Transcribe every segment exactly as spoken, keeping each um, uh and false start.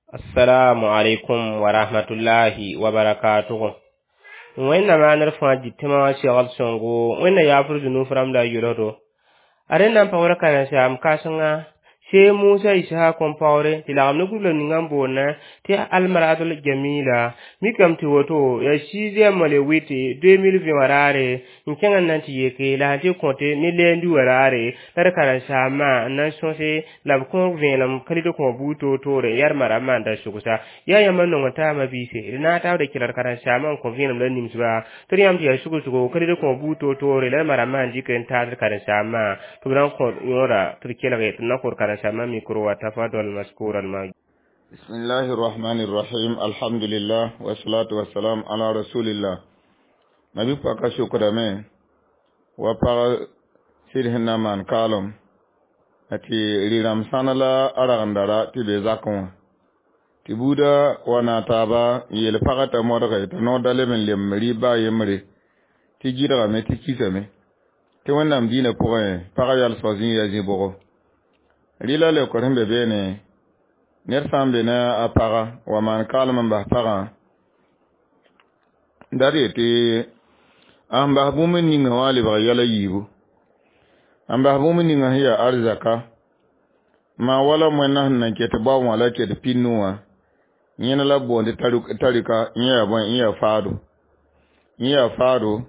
Assalamu alaikum wa rahmatullahi wa barakatuhu. Wẽnnaam maanr fãa dɩtẽmã wã segl sõngo wẽnna yaafr zũnuf rãmb la a yelsdo a rẽnd na n paoor karen-saam kãsenga see Musa Isahak n paoore tɩ lagem ne gũbla ninga n boonda tɩ almaratul jamila mikame tɩ woto yaa sixième le huit deux mille vingt wã raare n kẽng n na n tɩ yeke la sẽn tɩ kõte ne lundi wã raare la d karen-saambã n na n sõse la b kõ vẽenem kalɩd kõ buud toor-toore n yaa d maramã n da sʋgsa yaa yãmb n nong taabã biise d na n taabd kelgd karen-saambã n kõ vẽenem la nimsba tɩ d yãmb tɩ yaa sug-sʋgo kalɩd kõ buud toor-toore la d maramã n dɩk n taasd karen-saambã tɩ b na n kõ yõoda tɩ d kelge tɩ d na kõ d karen-saambã micro wa tafadal maskuran ma. بسم الله الرحمن الرحيم الحمد لله والصلاة والسلام على رسول الله nabi paka shukrame wa paga sɩd sẽn na n maan kaalem tɩ rɩ-rãmb sãn la a ragndara tɩ be zakẽ wã tɩ buudã wa na taaba n yeel pagã t'a modge t'a noor da leb n lem rɩɩb baa yembre tɩ gɩdgame tɩ kisame tɩ wẽnnaam diinã pʋgẽ pagã yalsg zĩig yaa zĩ-bʋgo rɩla leokr sẽn be beene ned sã n be ne a paga wa maan kaalem n bas pagã dat yetɩ n bas bũmb ninga wã lebg yɛl a yiibu n bas bũmb ninga sẽn yaa arzaka maa wala moẽnna sẽn nan ket bao wã la ket pinu wã yẽna la b boond tarika yẽ yaa bõe yẽ yaa faado yẽ yaa faado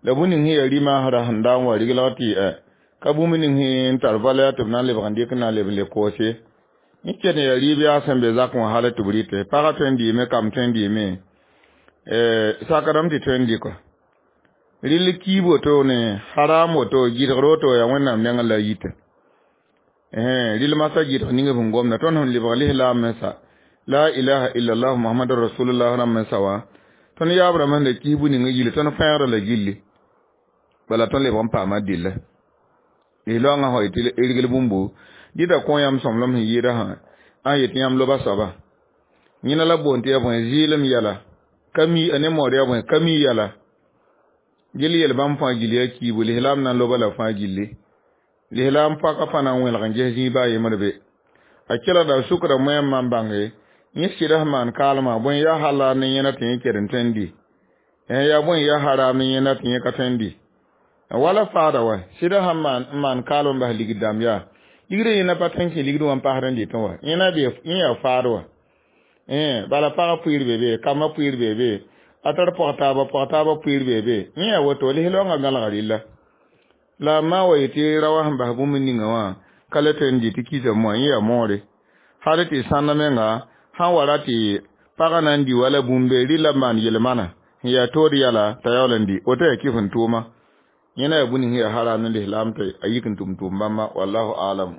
la bũmb ning sẽn yaa rɩ-maasrã sẽn da n wa riglg tɩ ka bũmb ning sẽn tar valɛa tɩ b na n lebg n dɩk n na n leb n le koose yẽ ket n yaa rɩɩb yaa sẽn be zakẽ wã hal tɩ b rɩte pagã tõe n dɩɩme kam tõe n dɩɩme sakdame tɩ tõe n dɩka rɩl kiib woto ne haram woto gɩdgr woto yaa wẽnnaam nengẽ la a yita rɩl masã gɩdg ning b sẽn gomda tõnd sẽn lebg lislaam mensa la ilaha illallah muhammadu rasulullah rãmb mensa wã tõnd yaab rãmb sẽn da kis bũ ning gilli tõnd fẽegda la gilli bala tõnd lebg n paama dɩlla lislaoongã fa yetɩ rgl bũmbu dɩta kõ yãmb sõmblem sẽn yɩɩda sã a yetɩ yãmb loba soaba yẽna la boond tɩ yaa bõe zɩɩlem yɛla ka mi ne mood yaa bõe ka mi yɛla gil yel bãmb fãa gilli yaa kiibu lislaam na n loba la fãa gilli lislaam paka fãa na n wẽlg n ges zĩig baa yembr be a kelgda sukra moẽmbã n bãnge yẽ sɩd sẽn maan kaalmã bõe yaa halal ne yẽna tɩ yẽ ket n tõe n dɩ yaa bõe yaa haram ne yẽna tɩ yẽ ka tõe n dɩ wala faada wa sɩd sẽn maan n maan kaalem n bas ligd dãmb yaa ligdã yẽna pa tõe n kẽ ligd wã n pasd n dɩtẽ wa yẽna be yẽ yaa faad wa bala pagã pʋɩɩr be be kambã pʋɩɩr be be a tar pɔg taaba pɔg taaba pʋɩɩr be be yẽ yaa woto lislaoongã gãlga rɩlla la a maa wa yetɩ ra wa sẽn bas bũmb ninga wã ka le tõe n dɩ tɩ kisame wã yẽ yaa moore hal tɩ sãnda menga sãn wa ra tɩ pagã na n dɩ wala bũmbe rɩla n maan yel-manã sẽn yaa tood yɛla t'a yaool n dɩ woto yaa kɩf n tʋʋma yẽna yaa bũmb ning sẽn yaa haram ne lislaam tɩ a yik n tʋm tʋʋm bãmba wallahu alam.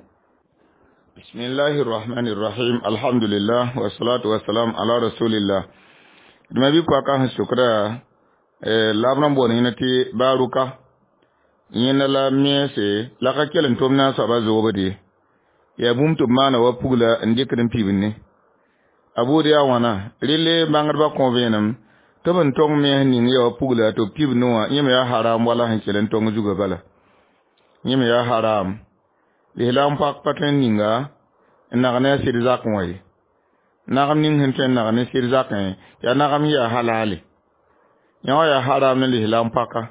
بسم الله الرحمن الرحيم الحمد لله والصلاة والسلام على رسول الله dũma bɩ paka sẽn sʋkda la b rãmb boond yẽna tɩ baaruka yẽna la mense la ka kell n tʋm na a soaba zoobde yaa bũmb tɩ b maana wa pugla n dɩkd n pibd ne a buud yaa wãna rɩle bãngdbã kõ vẽenem tɩ b n tong mens ning yaa wa pugla tɩ b pibd ne wã yẽ me yaa haram wala sẽn kell n tong zugã bala yẽ me yaa haram lislaam pak pa tõe n ninga n nag ne a sɩd zakẽ wã ye nagem ning sẽn tõe n nag ne sɩd zakẽ yaa nagem yaa halale yã wã yaa haram ne lislaam paka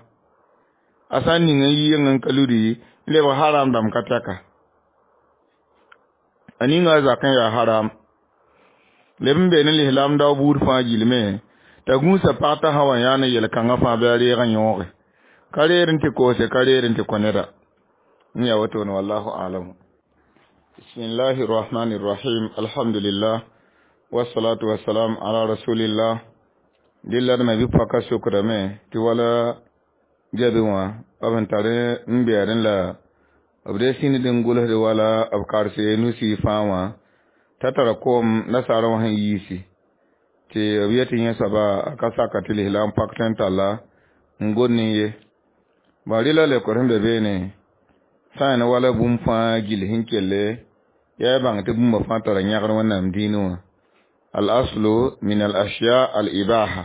a sã n ning n yi yeng n ka ludi n lebg haram dãmb ka tɛka a ninga a zakẽ yaa haram leb n be ne lislaam dao buud fãa gilme t'a gũusa pag t'a sã wa yã ne yel-kãngã fãa bɩ a reeg n yõoge ka reer n tɩ koose ka reer n tɩ kõ neda n yaa wotone wallahu alamu. بسم الله الرحمن الرحيم الحمد لله والصلاة والسلام على رسول الله dɩlla d ma bɩ paka sokrame tɩ wala gɛbẽ wã b sẽn tar n bɛɛdẽ la b dee sĩnd n gʋlsd wala b karse nusi fãa wã t'a tara koom nasaarã wã sẽn yiisi tɩ b yetɩ yẽ soaba a ka saka tɩ lislaam pak tõe n talla n gom ne ye ba rɩla leokr sẽn be beene sã n wala bũmb fãa gill sẽn kelle yaa bãng tɩ bũmba fãa tara yãgr wẽnnaam dĩinẽ wã al-aslu min al-ashya al-ibaha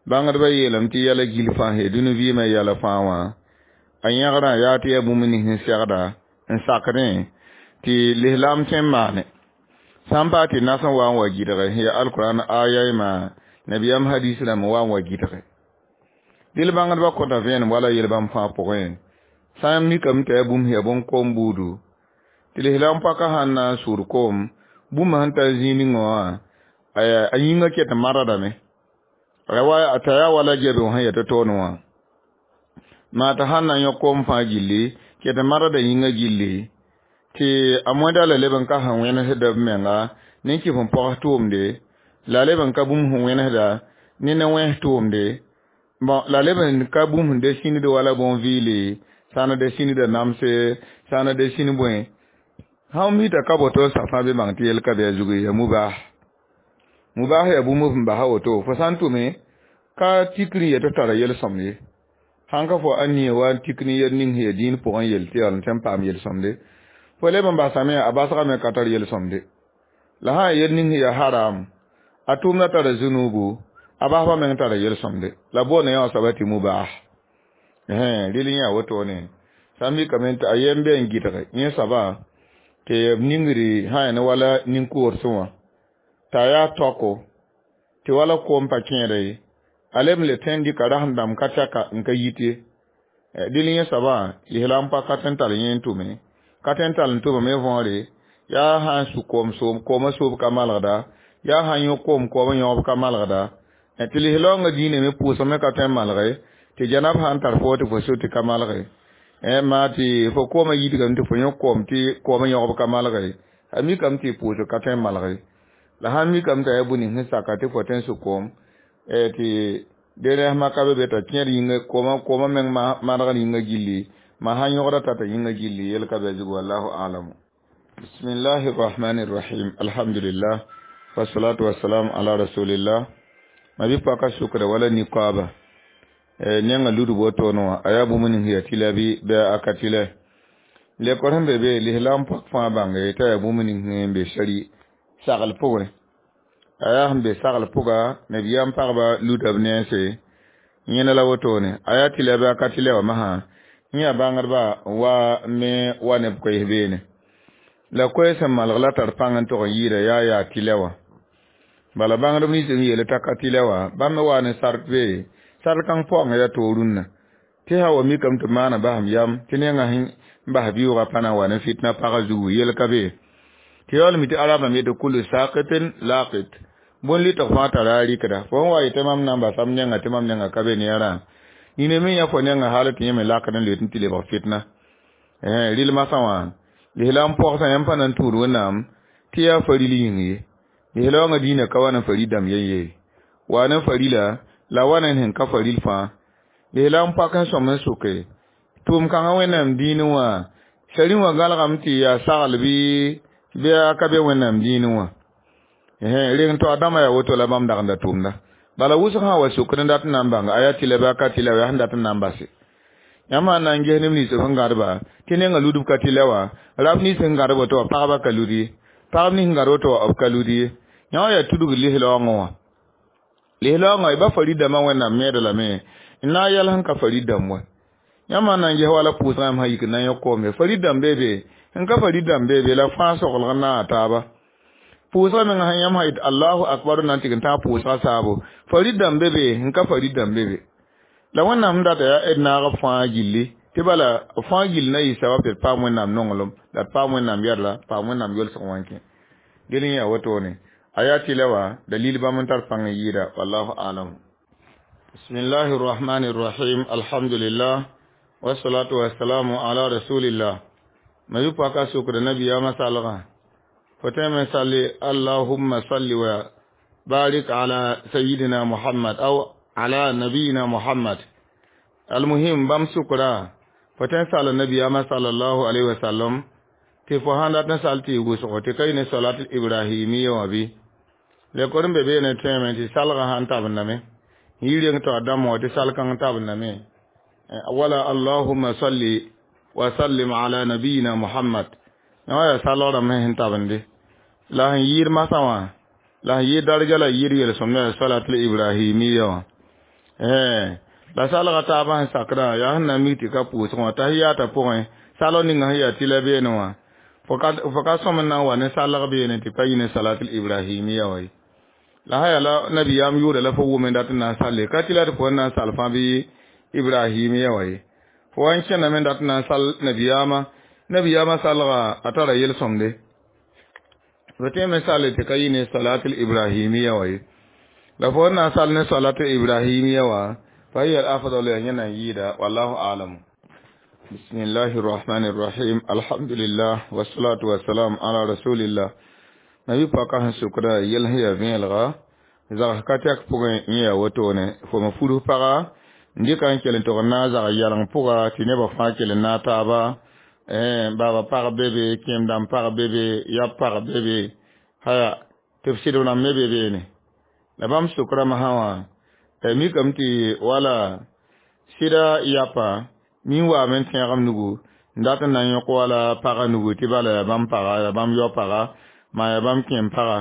bãngdbã yeelame tɩ yɛla gill fãa sẽn dũni vɩɩmã yɛla fãa wã a yãgrã yaa tɩ yaa bũmb nins sẽn segda n sakdẽ tɩ lislaam tõe n maane Sã n paa tɩ nas n wa n wa gɩdge ya alquran aya ma nabiyam hadis rãmb wa n wa gɩdge dɩl bãngdbã kõta vẽenem wala yel-bãmb fãa pʋgẽ sã n mikame tɩ yaa bũmb sẽn yaa bõn-koom buudu tɩ lislaam paka sãn na n sʋʋd koom bũmb sẽn tar zĩig ningã wã a yĩngã ket n maradame t'a yaa wala gɛbe sẽn yaa tɩ toon wã maa t'a sãn na n yõ koom fãa gilli ket n marada yĩngã gilli tɩ a mõeda la leb n ka sẽn wẽnesda b menga ne n kɩf n pogs tʋʋmde la leb n ka bũmb sẽn wẽnesda ne ne wẽns tʋʋmde bon la leb n ka bũmb sẽn de sĩnd wala bõn-vɩɩle sã n de sĩndda namse sã n de sĩnd bõe sãn mita ka boto safã be bãng tɩ yel ka bɩ a zugu ya mubah mubah ya bũmb f n basa woto fo sã n tʋme ka tikr n yetɩ tara yel-sõmd ye sãn ka fo a nie wa n tik ne yel ning sẽn ya dĩin pʋgẽ yel tɩ yaa n tõe n paam yel-sõmde fo leb n basame a basgame ka tar yel-sõmde la sã n yel ning sẽn ya haram a tʋʋmda tara zunubu a basba meng tara yel-sõmde la boonda yã wã soaba tɩ mubah rɩl yã wotone sã n mikame tɩ a yem be n gɩdge yẽ soaba tɩ b ningri sã ya ne wala nin-koorse wã t'a yaa taoko tɩ wala koom pa kẽeda ye a leb n le tõe n dɩka rasem dãmb ka tɛka n ka yit ye dɩl yẽ soabã lislaam pa ka tõe n tall yẽ n tʋme ka tõe n tall n tʋmame võore yaa sã n su koom soom koomã soob ka malgda yaa sã n yõ koom koomã yõgb ka malgda tɩ lislaoongã diinã me pʋʋsg me ka tõe n malge tɩ janab sã n tar fo tɩ fo so tɩ ka malge maa tɩ fo koomã yidgame tɩ fo yõ koom tɩ koomã yõgb ka malge a mikame tɩ pʋʋsg ka tõe n malge la sãn mikame t'a yaa bũ-ning sẽn saka tɩ fo tõe n su koom tɩ dẽrẽsmã ka be be t'a kẽer yĩnga koomã koomã meng manegr yĩngã gilli ma sãn yõgda tata yĩngã gilli yel ka be a zugu wallahu alamu bismillahi rahmani rahim alhamdulillah wasalatu wasalam ala rasulillah ma bi paka sukra wala niqaba nenga ludu wotono wã a yaa bũmb ning sẽn yaa tɩla bɩ bɩ a ka tɩlɛ lekor sẽn be be lislaam pak fãa bãnge t'a yaa bũmb ning sẽn be sari sagl pʋgẽ a yaa sẽn be sagl pʋga nabiyaam pagba luda b nense yẽna la wotone a yaa tɩlɛ bɩ a ka tɩlɛ wã masã yẽ yaa bãngdba wa me wa neb koees beene la koees sẽn malg la tar pãng n tog n yɩɩda yaa yaa tɩlɛ wã bala bãngdb nins n yeele t'a ka tɩlɛ wã bãmb me waa ne sart be sar kãng paoongã yaa toor rũnnã tɩ sã wa mikame tɩ maana basem yam tɩ nengã sẽn bas vɩʋʋgã pa na n wa ne fitna pagã zugu yel ka be tɩ yaool mi tɩ arabã me yetɩ kulu sakitin laqit bõn lɩtg fãa tara a rɩkda fo sẽn wa yetɩ mam na n basam nengã tɩ mam nengã ka be neerã nina me yã fo nengã hal tɩ yẽ me lakd n loet n tɩ lebg fitna rɩl masã wã lislaam pɔgsã yãmb pa na n tũud wẽnnaam tɩ yaa faril yĩng ye lislaoongã diinã ka wa ne farid dãmb yen ye wa ne farila la wa ne sẽn ka faril fãa lislaam pak n sõm n sʋke tʋʋm kãngã wẽnnaam diinẽ wã sari wã gãlgame tɩ yaa sagl bɩ bɩ a ka be wẽnnaam diinẽ wã reng to a dãmbã yaa woto la bãmb dag n da tʋʋmda bala wʋsg sã wa sʋkd n dat n na n bãng a yaa tɩla bɩ a ka tɩla yaa sẽn dat n na n base yãmb sãn na n ges neb nins sẽn gãdba tɩ nengã ludb ka tɩlɛ wã rab nins sẽn gãd woto wã pagba ka lud ye pagb nins sẽn gãd woto wã b ka lud ye yã wã yaa tudg lislaoongã wã lislaoongã ba farid dãmbã wẽnnaam meed lame n na n yɛl sẽn ka farid dãmb wa yãmb sãn na n ges wala pʋʋsgã yãmb sã yik n na n yõ koom ye farid dãmb bee be sẽn ka farid dãmb bee be la fãa soglg n naaga taaba pʋʋsgã mengã sẽn yãmb sã yet allahu akbar na n tɩg n tãag pʋʋsgã saabo farid dãmb be be sẽn ka farid dãmb be be la wẽnnaam sẽn data yaa d naag fãa gilli tɩ bala fãa gill na yɩ sabab tɩ d paam wẽnnaam nonglem la d paam wẽnnaam yɛdla paam wẽnnaam yolsg wã n kẽ del n yaa wotone a yaa tɩlɛ wã dalil bãmb n tar pãng n yɩɩda wallahu alam bismillahi rrahmani rrahim alhamdulillah wasalatu wasalamu ala rasulillah ma yʋ paka sʋkda nabiyaamã salgã fo tõe me salli allahumma salli wa barik ala sayidina muhammad aw ala nabiyina muhammad almuhim bãmb sʋkra fo tõe n sall nabiyaamã sallallahu alaihi wasallam tɩ fo sãn dat n sall tɩ y wʋsgo tɩ ka yɩ ne salat ibrahimiya wã bɩ lekor n be beene tõeme tɩ salgã sãn tabendame yɩ reng tɩ a dãmb wã tɩ sal-kãng tabendame wala allahumma salli wa sallim ala nabiyina muhammad yã wã yaa salgrãmb sẽn tabende la sẽn yɩɩd masã wã la sẽn yɩɩd darja la yɩɩd yel-sõmdã yaa salatul ibrahimiya wã la salga taabã sẽn sakdã yaa sẽn na n mik tɩ ka pʋʋsg wã tahiyaatã pʋgẽ salg ninga sẽn yaa tɩla beene wã Fo ka sõm n na n wa ne salg beene tɩ pa yɩ ne salatul ibrahimiya wa ye. La sã yaa la nabiyaam yʋʋra la fo wʋm n dat n na n salle ka tɩ la tɩ fo n na n sal fãa bɩ ibrahimiya wa ye. Fo wa n kẽndame n dat n na n sal nabiyaamã, nabiyaamã salga a tara yel-sõmde. Fo tõeme salle tɩ ka yɩ ne salatul ibrahimiya wa ye. La fo n na n sal ne salatul ibrahimiya wã fa hiya al-afdal ya yẽna n yɩɩda wallahu a'lam. بسم الله الرحمن الرحيم الحمد لله والصلاة والسلام على رسول الله nabi paka sẽn sʋkda yɛl sẽn yaa vẽelga zags ka tɛk pʋgẽ yẽ yaa wotone fo me fudg paga n dɩka n kell n tog n na n zag yaleng pʋga tɩ nebã fãa kell n naag taaba baaba pag be be kẽem dãmb pag be be yab pag be be haya tɩ b sɩdb rãmb me be beene la bãmb sʋkrã masã wã mikame tɩ wala sɩda yapa min waame n tẽegem nugu n dat n na n yõk wala pagã nugu tɩ bala yaa bãmb paga yaa bãmb yao paga maa yaa bãmb kẽem paga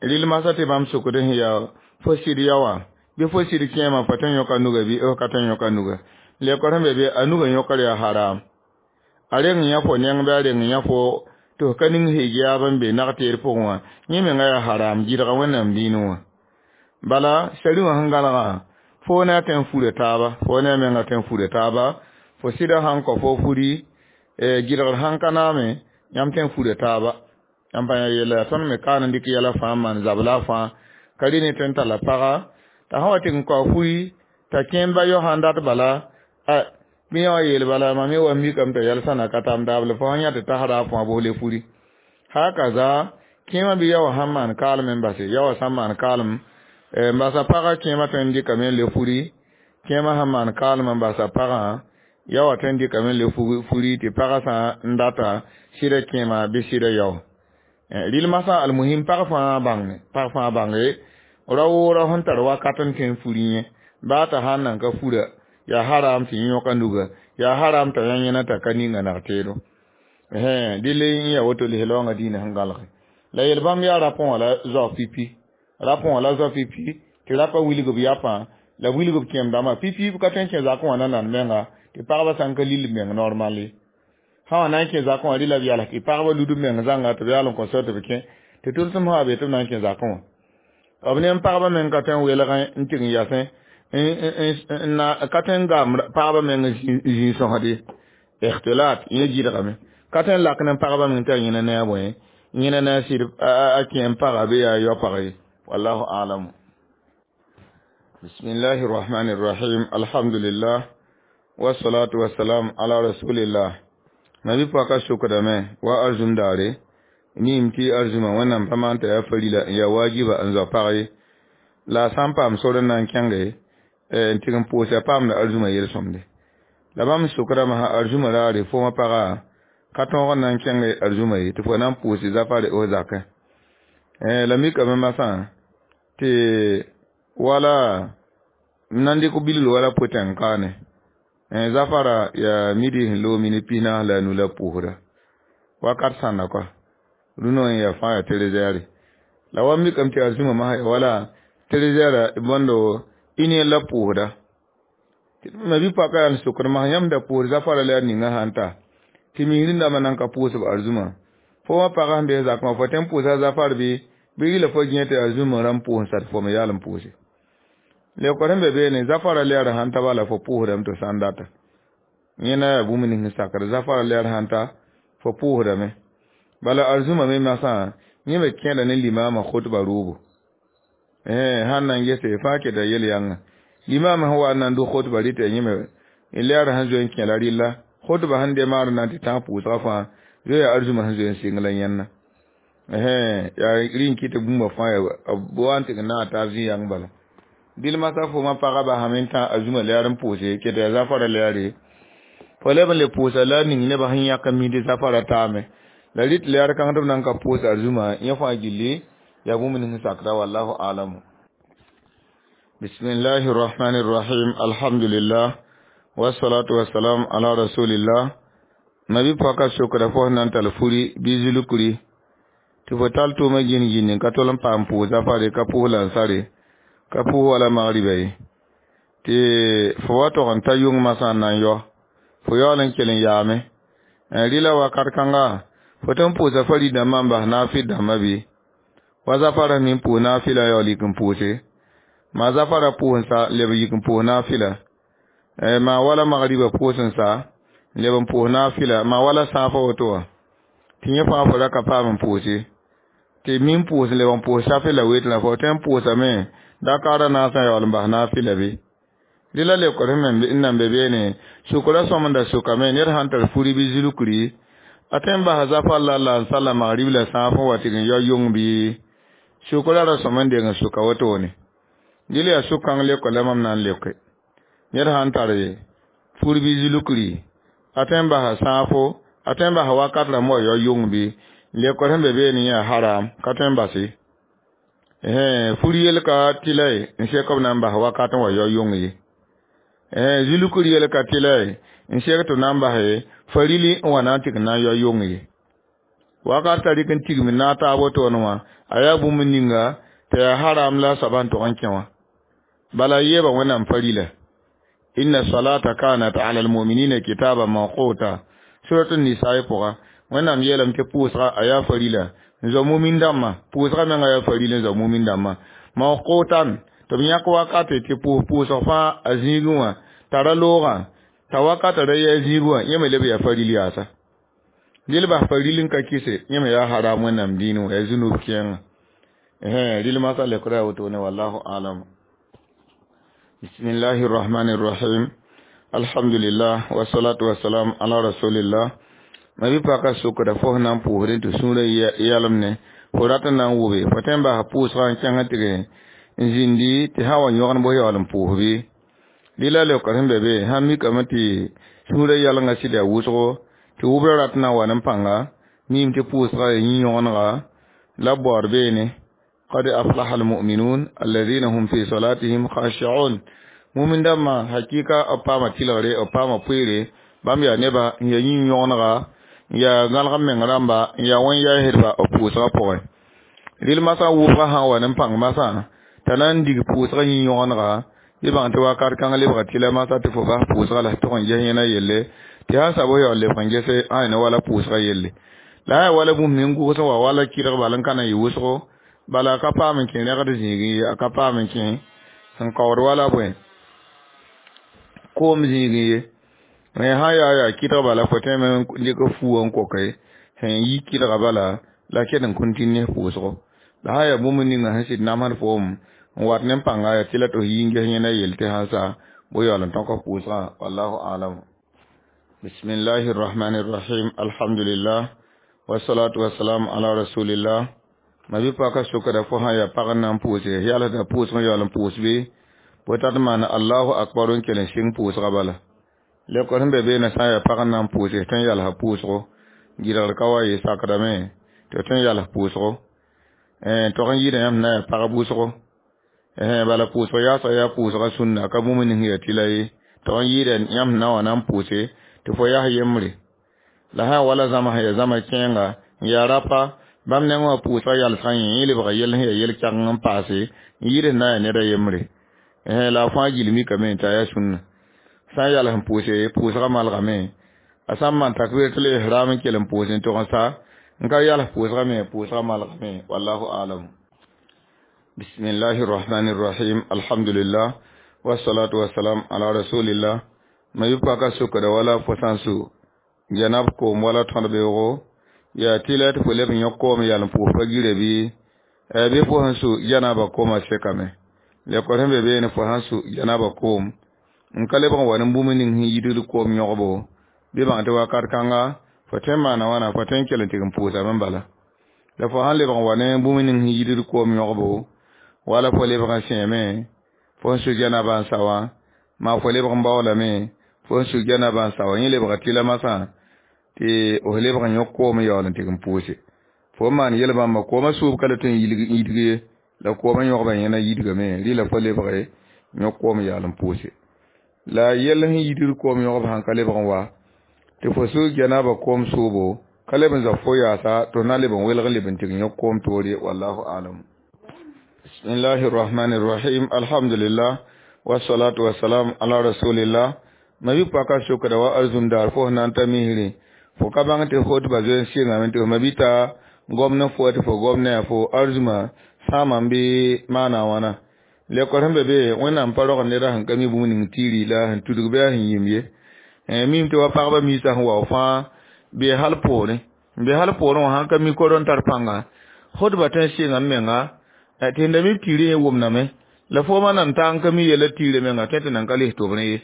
rɩl masã tɩ bãmb sʋkd sẽn yaa fo sɩd yao wã bɩ fo sɩd kẽemã fo tõe n yõka nuga bɩ f ka tõe n yõka nuga lekor sẽn be be a nugã yõkr yaa haram a reng yã fo neng bɩ a reng yã fo tɩ f ka ning hijaab n be nag-teer pʋgẽ wã yẽ menga yaa haram gɩdga Wẽnnaam dĩinẽ wã bala sari wã sẽn gãlgã fo ne a tõe n fura taaba fo ne a menga tõe n fura taaba fo sɩda sãn kao fo furi gɩdgr sãn ka naame yãmb tõe n fura taaba yãmb pa yã yella yaa tõnd me kaan n dɩk yɛla fãa n maan zabla fãa ka rɩ ne tõe n talla paga t'a sã wa tɩ n kao furi t'a kẽem ba yao sãn dat bala bɩ yã wã yeel bala mam me wa mikame t'a yɛl sãna ka tam daable fo sãn yã tɩ tasra fãa bos le furi hakaza kẽemã bɩ yao sãn maan kaalem n base yao sãn maan kaalem n basa pagã kẽemã tõe n dɩkame n le furi kẽemã sãn maan kaalem n basa pagã yao wã tõe n dɩkame n le furi tɩ pagã sã n data sɩda kẽema bɩ sɩda yao rɩl masã almuhim pag fãa bãnge pag fãa bãnge ra-woorã sẽn tar wakat n tõe n furi yẽ baa t'a sãn nan ka fura yaa haram tɩ yẽ yõka nuga yaa haram t'a yã yẽna t'a ka ninga nag-teedo dɩl n yaa woto lislaoongã diinã sẽn gãlge la yel bãmb yaa rapẽ wã la zao pipi rapẽ wã la zao pipi tɩ rapa wilg b yapã la wilg b kẽem dãmbã pipi b ka tõe n kẽ zakẽ wã na nan menga tɩ pagba sã n ka lil meng normal ye sã wã na n kẽ zakẽ wã rɩla b yals tɩ pagba lud b meng zãnga tɩ b yaal n kõ sor tɩ b kẽ tɩ tʋlsem sã wa be tɩ b na n kẽ zakẽ wã b ne pagba meng ka tõe n welgẽ n tɩg n yasẽ n ka tõe n gaam pagba meng zĩig-sõsd ye ikhtilat yẽ gɩdgame ka tõe n lak ne pagba meng tɩ a yẽna ne a bõe yẽna ne a sɩd a kẽem paga bɩ yaa yao pag ye wallahu a'lamu bismillahi rahmani rahim alhamdulillah wassalatu wassalam ala rasulillah nabi paka sukdame wa arzum daare nim tɩ arzumã wẽnnaam pa maan t'a yaa farila n yaa wajiba n zao pag ye la a sã n paam sor n na n kẽnge n tɩg n pʋʋsa paamda arzumã yel-sõmde la bãmb sʋkdame sã arzumã raare fo wã paga ka tõog n na n kẽng arzumã ye tɩ fo na n pʋʋs zafare f zakẽ la mikame masã tɩ wala n na n dɩk bilgr wala potẽng kaane zafara yaa midi sẽn loog minit pis naas la a nu la pʋʋsda wakat sãnda koa rũnã n yaa fãa yaa treize heures la wa mikame tɩ arzumã masã ya wala treize heures bõndo une la pʋʋsda ma bi paka yaa n sokd masã yãmb da pʋʋs zafara la yaa ninga sãn ta tɩ mis rĩndãmbã nan ka pʋʋsb arzumã fo wã pagã sẽn bes zakẽ wã fo tõe n pʋʋsa zafar bɩ bɩ rɩla fo gẽ tɩ arzumã rãmb pʋʋs n sat fo me yaal n pʋʋse lekor sẽn be beene zafara lɛɛr sãn ta bala fo pʋʋsdame tɩ sã n data yẽna yaa bũmb nins sẽn sakd zafara lɛɛr sãn ta fo pʋʋsdame bala arzumã me masã yẽ me kẽeda ne limaamã khutba roobo sãn na n gese fãa keta yel-yãnga limaamã sẽn wa n na n dʋ khutba rɩta yẽ me lɛɛr sẽn zoe n kẽ la rɩlla khutba sẽn demaar na n tɩ tãag pʋʋsgã fãa zoe yaa arzumã sẽn zoe n sɩng la yẽnna yaa rɩ n kɩt bũmba fãa yaa b wa n tɩg n naag taab zĩ-yãng bala dɩl masã fo ma pagã basame n tã arzumã lɛɛr n pʋʋse keta yaa zafara lɛɛre fo leb n le pʋʋsa la a ning nebã sẽn yãk n misd zafara taame la rɩt lɛɛr kãng tɩ b na n ka pʋʋs arzumã yẽ fãa gilli yaa bũmb nins sakda wallahu alamu bismillahi rahmani rahim alhamdulillah wassalatu wassalam ala rasulillah nabi paka sokda fo sẽn na n tall furi bɩ zulkri tɩ fo tall tʋʋmã gĩn gĩnd ka tol n paam pʋʋs zafare ka pʋʋs lansare ka pʋʋs wala magriba ye tɩ fo wa tog n ta yʋng masã n na n yao fo yaool n kell n yaame rɩla wakat kãnga Fo tõe n pʋʋsa farid dãmbã n bas naafɩl dãmbã bɩ wa zafara min pʋʋs naafɩla yaool yik n pʋʋse maa zafara pʋʋs n sa leb n yik n pʋʋs naafɩla maa wala magriba pʋʋs n sa leb n pʋʋs naafɩla maa wala sãafã woto wã tɩ yẽ fãa fo ra ka paam n pʋʋse tɩ min pʋʋs n leb n pʋʋs safe la wetrã fo tõe n pʋʋsame dakaarã naasã yaool n bas naafɩla bɩ dɩ la leokr sẽn n nan be beene sʋkra sõmda sʋkame ned sãn tar furi bɩ zulkri a tõe n basa zafar la la n sala magrib la sãaf n wa tɩg n yao yong bɩ sʋkra ra sõm n deng n sʋka wotone dɩl yaa sʋk-kãng leoka la mam na n leoke ned sãn tar fur bɩ zulkri a tõe n basa sãafo a tõe n basa wakat rãmb wa yao yong bɩ leokr sẽn be beene yã haram ka tõe n bas ye fur yel ka tɩla ye n sek b na n bas wakat n wa yao yong ye zulkr yel ka tɩla ye n sek tɩ b na n bas ye farili n wa na n tɩg n na n yao yong ye wakat t'a rɩk n tigm n naag taab wotone wã a yaa bũmb ninga tɩ yaa haram la a soaba n tog n kẽ wã bala yeeba wẽnnaam farila inna salata kanat ala almuminina kitaban mawquta surat an-nisa pʋga wẽnnaam yeelame tɩ pʋʋsga a yaa farila n zoa mumin dãmbã pʋʋsga menga yaa farila n zoa mumin dãmbã mawqutan tɩ b yãk wakate tɩ pʋʋs pʋʋsg fãa a zĩigẽ wã tara loogã t'a wakata ra yaa zĩig wã yẽ me leb yaa faril yaasa dɩl bas faril n ka kɩse yẽ me yaa haram wẽnnaam dĩinẽ wã yaa zũnub kẽengã rɩl masã leokra yaa wotone wallahu alam bismillahi rrahmani rrahim alhamdulillah wasalatu wasalam ala rasulillah ma bɩ paka sʋkda fo sẽn na n pʋʋsdẽ tɩ sũurã yɛlem ne fo rat n na n wʋbe fo tõe n basa pʋʋsgã n kẽng tɩg n zĩndi tɩ sã n wa yõgd bos yaool n pʋʋs bɩ dɩ la leokr sẽn be be sãn mikame tɩ sũurã yɛlenga sɩd yaa wʋsgo tɩ wʋbrã rat n na n wa ne pãnga miime tɩ pʋʋsga yaa yĩ-yõgenega la b baood beene qad aflaha almu'minun alladhina hum fi salatihim khashi'un mumin dãmbã hakika b paama tɩlgre b paama poeere bãmb yaa neba n yaa yĩ-yõgenega n yaa gãlg meng rãmba n yaa wẽn-yaasdba b pʋʋsgã pʋgẽ rɩl masã wʋbgã sã n wa ne pãng masã t'a na n dig pʋʋsgã yĩ-yõgenega bɩ bãng tɩ wakat kãng lebga tɩla masã tɩ fo bas pʋʋsga la tog n ges yẽna yelle tɩ sã n sab yaool lebg n gese ãn ne wala pʋʋsga yelle la sã yaa wala bũmb ning gʋgs n wa wala kɩdg bal n ka na n yɩ wʋsgo bala a ka paam n kẽ rẽgd zĩigẽ ye a ka paam n kẽ sẽn kaood wala bõe koom zĩigẽ ye sã yaa yaa kɩdg bala fo tõeme n dɩk fuuwã n koke sẽn yi kɩdga bala la ket n kõn tɩ ne pʋʋsgo la sã yaa bũmb ninga sẽn sɩd namsd foom n wat ne pãnga yaa tɩ la tɩ f yi n ges yẽna yell tɩ sãn sa bʋ yaool n tõk f pʋʋsgã wallahu alam bismillahi rrahmani rrahim alhamdulillah wasalatu wasalam ala rasulillah ma bɩ paka sʋkda fo sã yaa pag n na n pʋʋse yalsda pʋʋsg n yaool n pʋʋs bɩ bʋ tat n maan allahu akbar n kell n sɩng pʋʋsga bala leokr sẽn be beene sã n yaa pag n na n pʋʋse tõe n yalsa pʋʋsgo gɩdgr ka wa yɩ sakdame tɩ tõe n yals pʋʋsgo tog n yɩɩda yãmb na yaa pagb wʋsgo bala pʋʋsg yaasg yaa pʋʋsga sũnna ka bũmb ning yaa tɩla ye tog n yɩɩda yãmb na wã na n pʋʋse tɩ fo yas yembre la sã wala zãma sẽn yaa zãma kẽenga n yaa rapa bãmb nengẽ wã pʋʋsga yalsgã yẽ yẽ lebga yell sẽn yaa yel-kɛgeng n paase n yɩɩd sẽn na n yaa ned a yembre la a fãa gill mikame t'a yaa sũnna sã n yals n pʋʋse pʋʋsga malgame a sã n maan takbiratul ihram n kell n pʋʋs n tog n sa n ka yals pʋʋsga me pʋʋsga malgame wallahu alam bismillahi rrahmani rrahim alhamdulillah wasalatu wasalam ala rasulillah ma yʋ paka sʋkda wala fo sã n su janab koom wala tõd-beoogo yaa tɩla tɩ fo leb n yõk koom yal n pʋʋs pa gire bɩ bɩ fo sẽn su janaba koomã sekame leokr sẽn be beene fo sãn su janaba koom n ka lebg n wa ne bũmb ning sẽn yidgd koom yõgbo bɩ bãng tɩ wakat kãnga fo tõe n maana wãna fo tõe n kell n tɩg n pʋʋsame bala la fo sãn lebg n wa ne bũmb ning sẽn yidgd koom yõgbo wala fo lebg n sẽeme fo sẽn su janaba n sa wã maa fo lebg n baoolame fo sẽn su janaba n sa wã yẽ lebga tɩla masã tɩ f lebg n yõk koom n yaool n tɩg n pʋʋse fo n maan yel-bãmba koomã sʋʋb ka la tõe n yidg ye la koomã yõgba yẽna yidgame rɩla fo lebge yõk koom yaal n pʋʋse la yell sẽn yidgd koom yõgb sãn ka lebg n wa tɩ fo sug janaba koom sʋʋbo ka leb n zab fo yaasa tɩ f na leb n welg leb n tɩg yõk koom toore wallahu alam bismillahi rrahmani rrahim alhamdulillah wasalatu wasalam ala rasulillah ma bɩ paka sʋkda wa arzũm daar fo sẽn na n ta misrẽ Fo ka bãng tɩ khutba zoe n sɩngame tɩ f mabita gomd n fo tɩ fo gomd ne a fo arzũma sãamame bɩ maana a wãna. Lekor sẽn be be Wẽnnaam pa rog neda sẽn ka mi bũmb ning tiiri la sẽn tudg bɩ a sẽn yĩm ye. Mim tɩ wa pagba miisã sẽn wao fãa bee hal poorẽ n be hal poorẽ wã sãn ka mi kor n tar pãnga khutba tõe n sɩnga m menga tɩ sẽn da mi tiirẽ yẽ wʋmdame la foomã nan taa n ka mi yɛla tiirã menga tõe tɩ nan ka lis tʋbrẽ ye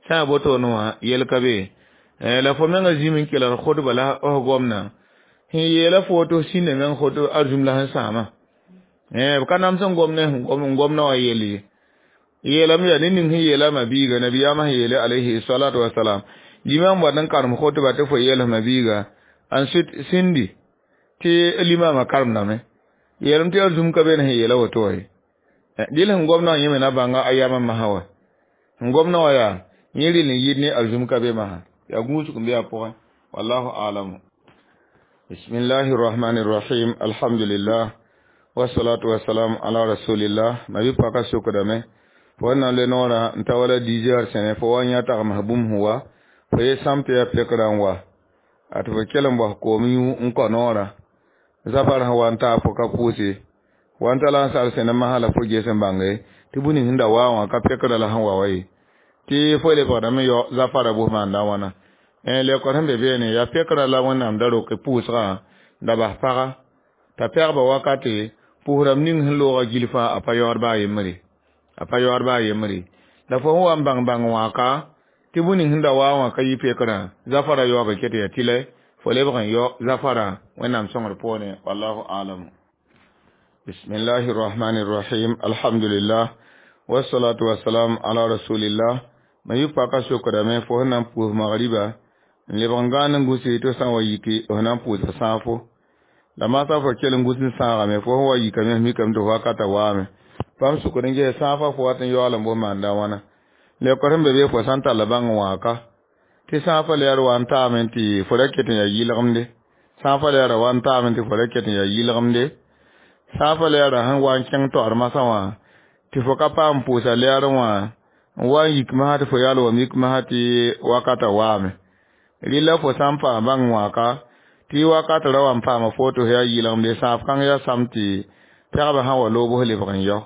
sã n yaa wotone wã yɛl ka be la fo menga zĩm n kelg khutba la f gomdã sẽn yeela fo tɩ f sĩnda meng khut arzũm la sẽn sãama b ka nams n gom ne n gomdã wã yell ye yeelame yaa ned ning sẽn yeela ma biiga nabiyaamã sẽn yeele alayhi salatu wasalam limam wat n karem khutba tɩ fo yɛls ma biiga ensuite sĩndi tɩ limamã karemdame yeelame tɩ arzũm ka be ne sẽn yeela woto wã ye dɩl sẽn gomdã wã yẽ me na bãnga a yamã masã wa sẽn gomdã wã yaa yẽ rɩl n yɩd ne arzũm ka be masã yaa gũusg n be a pʋgẽ wallahu alamu. Bismillahi rahmani rahim alhamdulillah wasalatu wasalam ala rasulillah ma bi paka sokdame fo na le noora n ta wala dix heures sẽne fo wa yã tagms bũmb sẽn wa fo ye sãm tɩ yaa pekra n wa a tɩ fo kell n bos koom yũ n kõ noorã zafar sẽn wa n taa fo ka pʋʋse wa n ta la n sar sẽne masã la fo ges n bãnge tɩ bũmb ning sẽn da waa wã ka pekra la sẽn wa wa ye tɩ fo lebgdame yao zafara bʋs maanda wãna lekor sẽn be beene yaa pekra la Wẽnnaam da roke pʋʋsgã da bas paga t'a pɛgba wakate pʋʋsrãmb ning sẽn looga gil fãa a pa yaood baa yembre a pa yaood baa yembre la fo sẽn wa n bãng bãng wãka tɩ bũmb ning sẽn da waa wã ka yɩ pekrã zafara yaoobã ket yaa tɩlɛ fo lebg n yao zafara Wẽnnaam sõngr poorẽ wallahu alam. Bismillahi rahmani rahim alhamdulillah wasalatu wasalam ala rasulillah ma yɩ paka sokdame fo sẽn na n pʋʋs magriba n lebg n gãan n gũse tɩ sã n wa yike f na n pʋʋsa sãafo la masã fo kell n gũs n sãagame fo sẽn wa yikame f mikame tɩ f wakata waame bãmb sʋkd n ges sãafã fo wat n yaool n bos maanda wãna lekor sẽn be be fo sã n tall bãng wãka tɩ sãafã lɛɛr wa n taame tɩ fo ra ket n yaa yɩlgemde sãafã lɛɛra wa n taame tɩ fo ra ket n yaa yɩlgemde sãafã lɛɛra sẽn wa n kẽng taoor masã wã tɩ fo ka paam pʋʋsa lɛɛr wã n wa n yik masã tɩ fo yaal wa mik masã tɩ wakata waame rɩla fo sã n paam bãng wãka tɩ wakat ra wa n paama fo tɩ f yaa yɩlgemde sãaf kãng yaa sam tɩ pɛgbã sã wa loog bs lebg n yao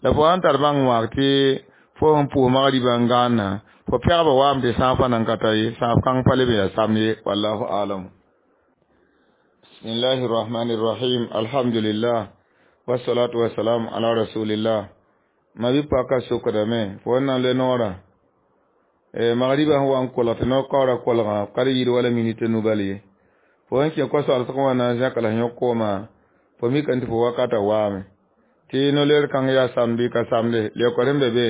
la fo sãn tar bãng wãak tɩ fo sẽn pʋʋs magribã n gãanna fo pɛgbã waame tɩ sãafã nan ka ta ye sãaf kãng pa leb n yaa samd ye wallahu alam. Bismillahi rahmani rahim alhamdulillah wasalatu wasalam ala rasulillah ma bi paka sokdame fo n na n le noorã magriba sẽn wa n kolg tɩ no-kaoora kolgã ka d yɩɩd wala minit nu bal ye fo sẽn kẽ koa-soalsg wã na n zẽk la sẽn yõk koomã fo mikame tɩ fo wakata waame tɩ no-leer kãng yaa samd bɩ ka samde lekor sẽn be be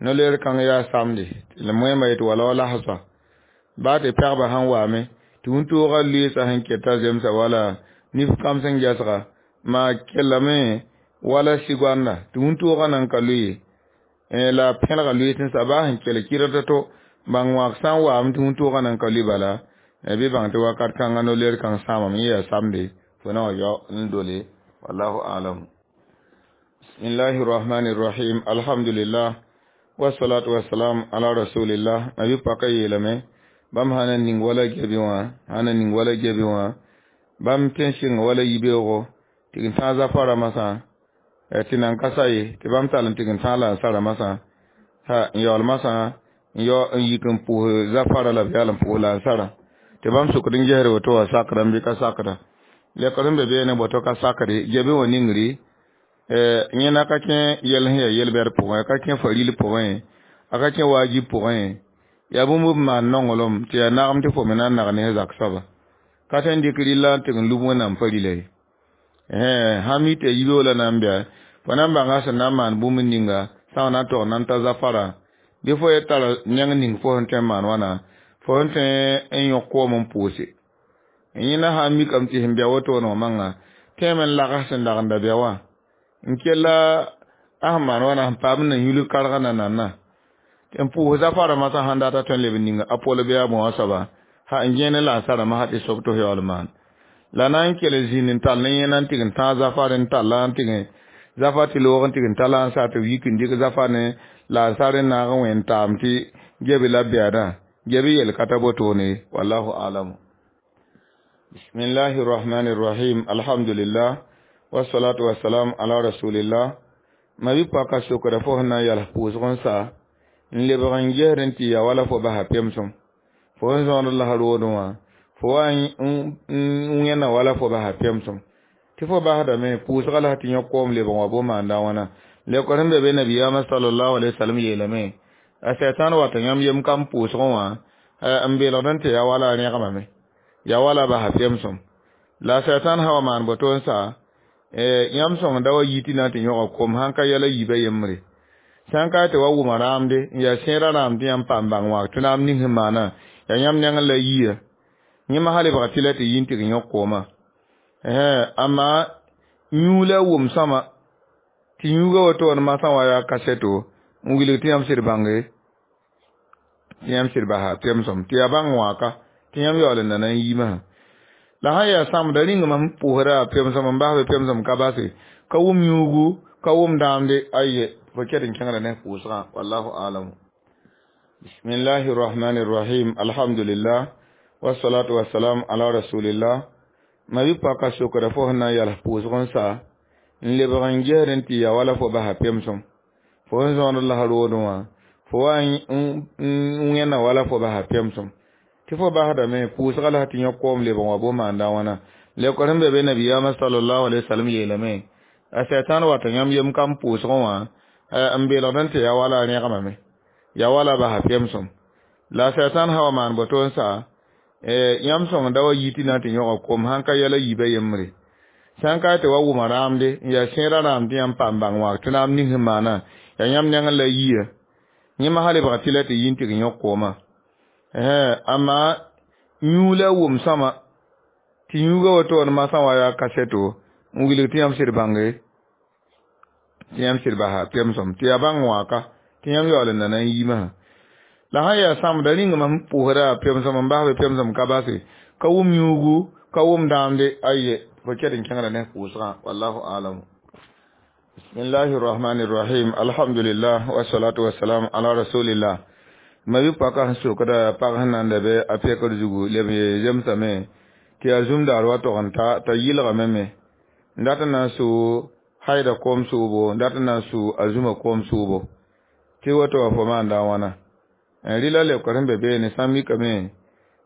no-leer kãng yaa samde la moẽmba yetɩ wala wa lasba baa tɩ pɛgbã sẽn waame tɩ wĩntoogã loeesa sẽn keta zemsa wala nif kam sẽn gɛsga maa kellame wala sɩgoanda tɩ wĩntoogã nan ka loe la pẽlga loees n sa baa sẽn kell kɩrd to bãng wãak sã n waame tɩ wĩntoogã nan ka loe bala bɩ bãng tɩ wakat kãngã no-leer kãng sãamame yẽ yaa samde fo na wa yao n dole wallahu alam. Bismillahi rahmani rahim alhamdulillah wasalatu wasalam ala rasulillah ma bɩ paka yeelame bãmb sã na ning wala gɛbẽ wã sã na ning wala gɛbẽ wã bãmb tõe n sɩng wala yibeoogo tɩ n tãag zafara masã tɩ nan ka sa ye tɩ bãmb tall n tɩg n tãag la n sara masã ha n yaool masã n yao n yik n pʋʋs zafara la b yaal n pʋʋs la n sara tɩ bãmb sʋkd n gesd woto wã sakdame bɩ ka sakda lekr sẽn be beene boto ka sakde gɛbẽ wã ningri yẽ na ka kẽ yɛl sẽn yaa yel-bɛd pʋgẽ a ka kẽ faril pʋgẽ a ka kẽ wajib pʋgẽ yaa bũmb b maan nonglem tɩ yaa nagem tɩ fo me na n nag ne zak soaba ka tõe n dɩk rɩlla n tɩg n lub Wẽnnaam pa rɩla ye sã mi tɩ yibeoog la na n bɩa fo na n bãnga sẽn na n maan bũmb ninga sã wa na n tog na n ta zafara bɩ fo ye tara neng ning fo sẽn tõe n maan wãna fo sẽn tõe n yõk koom n pʋʋse yẽ na sã n mikame tɩ sẽn bɩa wotone wã manga tẽeme n lags sẽn dag n da bɩa wã n kella a sẽn maan wãna sẽn paam n na yũlg kargã na nanna n pʋʋs zafara masã sãn data tõe n leb n ninga a pol bɩ a bõa soaba ha n gẽene la n sarame sã tɩ sob tɩ f yaool maan la na n kell zĩnd n tall ne yẽna n tɩg n tãag zafar n talla n tɩg zafa tɩ loog n tɩg n talla n sa tɩ b yik n dɩk zafa ne la n sar n naag n wẽn taam tɩ gebe la bɛɛdã gebe yel ka ta botone wallahu alamu. Bismillahi rahmani rahim. Alhamdulillah. Wassalatu wassalam ala rasulillah. Ma bi paka sokra fo na yal pʋʋsg n sa n lebg n gesd n tɩ ya wala fo basa pemsem fo n zõod la roodẽ wã fo wa n wẽnna wala fo basa pemsem tɩ fo basdame pʋʋsga la tɩ yõ koom lebg wã bo maanda wãna lekor sẽn be be nabiyaamã sallallahu alaihi wasallam yeelame a sɛtan wata yãmb yem kam pʋʋsgẽ wã n belgd n tɩ ya wala a rẽgmame ya wala basa pemsem la sɛtan sã wa maan boto n sa yãmb sõng da wa yi tɩ na n tɩ yõga kom sãn ka yɛla yiibã yembre sãn ka tɩ wa wʋma rãamde n yaa sẽera rãam tɩ yãmb paam bãng wã tɩ naam ning sẽn maana yaa yãmb nengẽ la yiya yẽma sã lebga tɩ la tɩ yi n tɩg yõk koomã amma yũu la wʋm sõma tɩ yũuga woto masã wa yaa kaseto n wilg tɩ yãmb sɩd bãnge tɩ yãmb sɩd basa pemsem tɩ yaa bãng wãka tɩ yãmb yaool n nana n yiimã la sã yaa sãmbda rĩngmã sẽn pʋʋsda pemsem n basbe pemsem ka base ka wʋm yũugu ka wʋm dãamde aye fo ket n kẽngda ne pʋʋsgã wallahu alamu. Bismillahi rahmani rahim. Alhamdulillah. Wassalatu wassalam ala rasulillah. Ma bi paka sokra fo sẽn na n yals pʋʋsg n sa n lebg n gesd n tɩ ya wala fo basa pemsem fo n zõod la roodẽ wã fo wa n wẽnna wala fo basa pemsem tɩ fo basdame pʋʋsga la tɩ yõ koom lebg wã bo maanda wãna lekor sẽn be be nabiyaamã sallallahu alaihi wasallam yeelame a sɛtan wata yãmb yem kam pʋʋsgẽ wã n belgd n tɩ ya wala a rẽgmame ya wala basa pemsem la sɛtan sã wa maan boto n sa yãmb sõng da wa yi tɩ na n tɩ yõga kom sãn ka yɛla yiibã yembre sãn ka tɩ wa wʋma rãamde n yaa sẽera rãam tɩ yãmb paam bãng wã tɩ naam ning sẽn maana yaa yãmb nengẽ la yiya yẽma sã lebga tɩ la tɩ yi n tɩg yõk koomã amma yũu la wʋm sõma tɩ yũuga woto masã wa yaa kaseto n wilg tɩ yãmb sɩd bãnge tɩ yãmb sɩd basa pemsem tɩ yaa bãng wãka tɩ yãmb yaool n nana n yiimã la sã yaa sãmbda rĩngmã sẽn pʋʋsda pemsem n basbe pemsem ka base ka wʋm yũugu ka wʋm dãamde aye fo ket n kẽngda ne pʋʋsgã wallahu alamu. Bismillahi rahmani rahim. Alhamdulillah. Wassalatu wassalam ala rasulillah. Ma bi paka sẽn sokda pag sẽn nan da be a pekr zugu leb zemsame tɩ yaa zũmdaar wa tog n ta t'a yɩlgame me n dat n na n sʋ haida koom sʋʋbo n dat n na n sʋ a zũma koom sʋʋbo tɩ woto wa fo maanda wãna rɩla lebkr sẽn be beene sã n mikame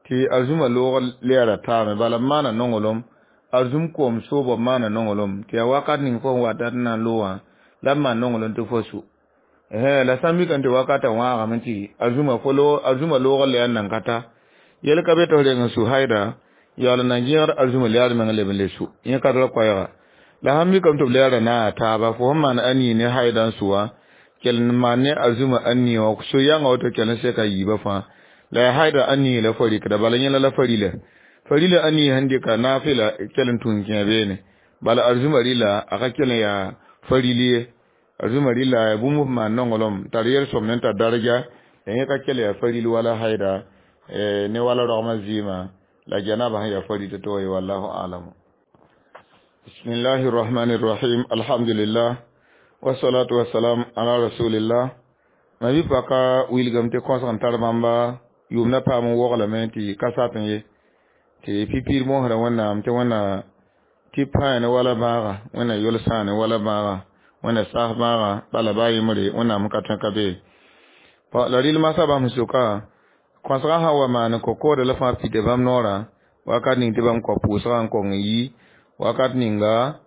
tɩ a zũma loog lɛɛra taame bala b maana nonglem a zũm koom sʋʋbo b maana nonglem tɩ yaa wakat ning fo sẽn wa dat n na n loog wã la b maan nonglem tɩ fo sʋ la sã n mikame tɩ wakatã wãagame tɩ a zũma fo a zũma loog lɛɛr nan ka ta yel ka be tɩ f reng n sʋ haida yaool n na gẽgd a zũma lɛɛr meng leb n le sʋ yẽ ka tara koɛɛga la sãn mikame tɩ b lɛɛra na a taaba fo sẽn maan a nii ne haida n sʋ wã kell n maan ne a zũma a nii wã so yãnga woto kell n seka yiibã fãa la yaa haida a nii la fo rɩkda bala yẽla la farila farila a nii sẽn dɩka naafɩla kell n tũn kẽ beene bala a zũma rɩla a ka kell n yaa faril ye a zũma rɩla yaa bũmb f maan nonglem tar yel-sõmd n tar daraja la yẽ ka kell yaa faril wala haida ne wala rogmã zɩɩmã la janaba sẽn yaa faril tɩ to ye wallahu alamu. Bismillahi rahmani rahim. Alhamdulillah. Wassalatu wassalam ala rasulillah. Ma bi paka wilgame tɩ kõsg n tar bãmba yʋʋmdã paam n woglame tɩ ka sat n ye tɩ pipiir mosrã wẽnnaam tɩ wẽnna tɩ pãane wala bãaga wẽnna yol sãane wala bãaga wẽnna saas bãaga bala baa yembre wẽnnaam ka tõe ka bee la rɩl masã bãmb sẽn soka kõsgã sã wa maan ko-koodã la fãa pida bãmb noorã wakat ning tɩ bãmb kao pʋʋsgã n kong n yi wakat ninga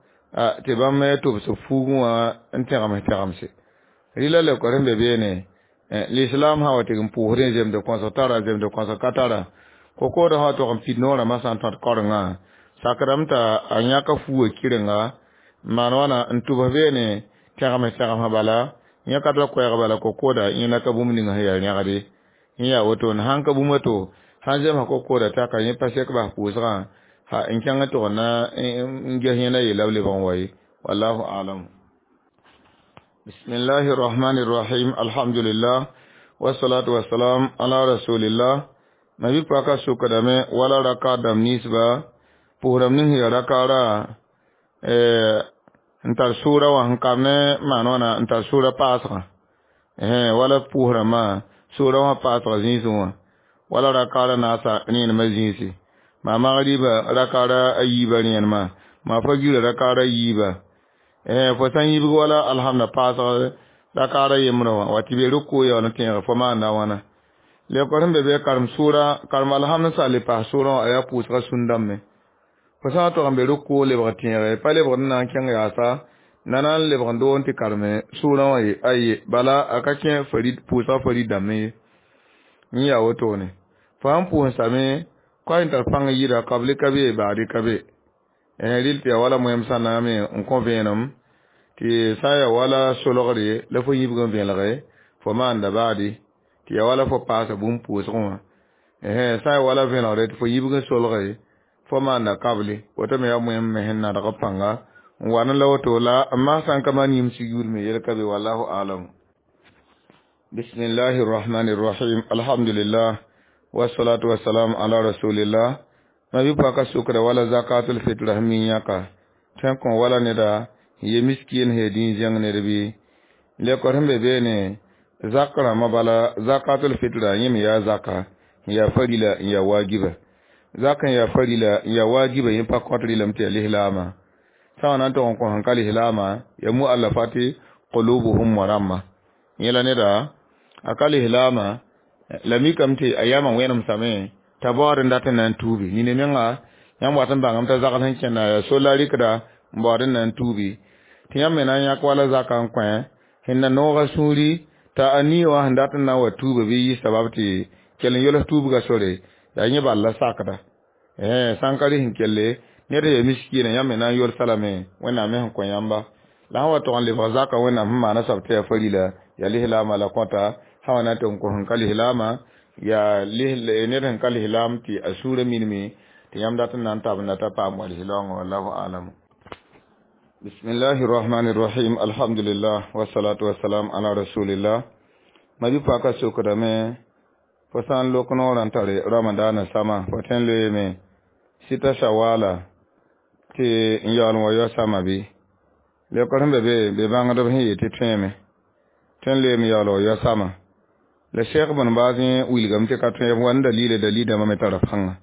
tɩ bãmb tʋbs fuugẽ wã n tẽgems tẽgemse rɩla lekor sẽn be beene l'islam sã wa tɩg n pʋʋsdẽ zemd kõsg tara zemd kõsg ka tara ko-koodã sã wa tog n pid noorã masã n tõt kaorengã sakdame t'a a yãka fuugã kɩrenga n maan wãna n tʋbs beene tẽgems tẽgemsã bala yẽ ka tara koɛɛg bala ko-kooda yẽna ka bũmb ninga sẽn yaa rẽgde yẽ yaa woto sãn ka bũmb to sãn zemsa ko-kooda taka yẽ pa sek bas pʋʋsgã ha n kẽng tɩg na n ges yẽna yeela b lebg n wa ye wallahu alam. Bismillahi rahmani rahim. Alhamdulillah. Wassalatu wassalam ala rasulillah. Ma bi paka sokdame wala raka dam ninsba pʋʋsdame ning sẽn yaa rakaara n tar sʋʋra wã sẽn kam ne maan wãna n tar sʋʋra paasgã wala pʋʋsrãmbã sʋʋra wã paasga zĩisẽ wã wala rakaara naasa rẽenemã zĩisi Ma magriba rakara a yiiba rẽenema ma fagira rakara yiiba eh fo sã n yibg wala alhamda paasg rakara yembrã wã wa tɩ be rʋkʋ yaool n tẽeg fo maanda wãna lekor sẽn be be karem sʋʋra karem alhamd sã le paas sʋʋrã wã a yaa pʋʋsga sũn-dãmbẽ fo sã n tog n be rʋkʋ lebg tẽege pa lebgd n na n kẽng yaasa na na n lebg n doog n tɩ kareme sʋʋrã wã ye aye bala a ka kẽ farid pʋʋsga farid dãmbẽ ye n yaa wotone fo sãn pʋʋsame koa n tar pãng yɩɩda kabli ka be baadi ka be rɩl tɩ yaa wala moɛm sã naame n kõ vẽenem tɩ sã n yaa wala solgre la fo yibg n vẽelge fo maanda baadi tɩ yaa wala fo paasa bũmb pʋʋsgẽ wã sã n yaa wala vẽelgre tɩ fo yibg n solge fo maanda kabli woto me yaa moɛm me sẽn nadg pãnga n wa ne la woto la n maan sã n ka maan yĩms yugr me yel ka be wallahu alam bismillahi rrahmani rrahim alhamdulillah wassalatu wassalam ala rasulillah ma bi paka sukra wala zakatul fitr min yaka tan kon wala ne da ye miskin he din jang ne bi le ko hembe be ne zakara ma bala zakatul fitr yim ya zaka ya farila ya wajiba zakan ya farila ya wajiba yin pa kotri lam te lihlama sawana to ko hankali hilama ya mu allafati qulubuhum wa ramma yela ne da akali hilama la mikame tɩ a yamã wẽnem same t'a baood n dat n na n tuubi nina menga yãmb wat n bãngame t'a zagl sẽn kẽnda yaa sola rɩkda n baood n na n tuubi tɩ yãmb me na n yãk wala zaka n kõ sẽn na nooga sũuri t'a a nii wã sẽn dat n na n wa tuuba bɩ yɩ sabab tɩ kell n yols tuubga sore yaa yẽ bal la sakda sã n ka rɩs n kelle ned sẽn ya miskiinã yãmb me na n yolsa lame wẽnnaam me sẽn kõ yãmba la sẽn wa tog n lebg zaka wẽnnaam sẽn maana soab tɩ yaa farila yaa lislaamã la kõta sã wa na n tɩ n kos n ka lislaamã yaa ned sẽn ka lislaam tɩ a sũurã minime tɩ yãmb dat n na n tabenda t'a paam wa lislaoongã wallahu alam bismillahi rrahmani rrahim alhamdulillah wassalatu wassalam ala rasulillah ma bi paka sokdame fo sã n lok noorã n tare ramadana sama fo tõe n loeeme sita shawala tɩ n yaool n wa yao sama bɩ lekor sẽn be be be bãngdb sẽn yeel tɩ tõeme tõe n loeem yaool wa yao sama la sheikh bn baaz yẽ wilgame tɩ ka tõe wa n dalila dalilã me tara pãnga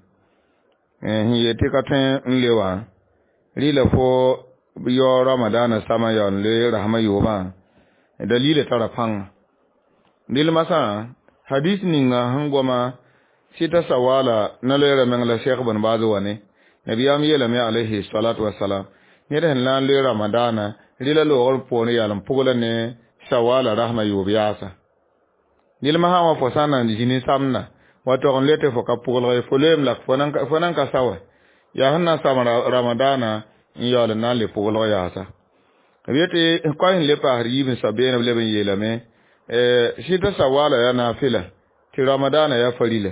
sẽn yeel tɩ ka tõe n le wã rɩla fo yao ramadana sama yaool n le rasmã yoobã dalila tara pãnga dɩl masã hadis ninga sẽn goma sita sawala na loeera meng la sheikh bn baaz wa ne nabiyam yeelame alayhi salatu wasalam ned sẽn na n loe ramadana rɩla loogr poor yaal n pʋgla ne sawala rasmã yoob yaasa nilma sã wã fo sã n na n zĩ ne samda wa tog n le tɩ fo ka pʋglg fo loeem la fo nan ka sa wa yaa sẽn na n sam ramadana n yaool n na n le pʋglg yaasa b yetɩ koa sẽn le paasd yiib n soab beene b leb n yeelame sɩta sawala yaa naafɩla tɩ ramadana yaa farila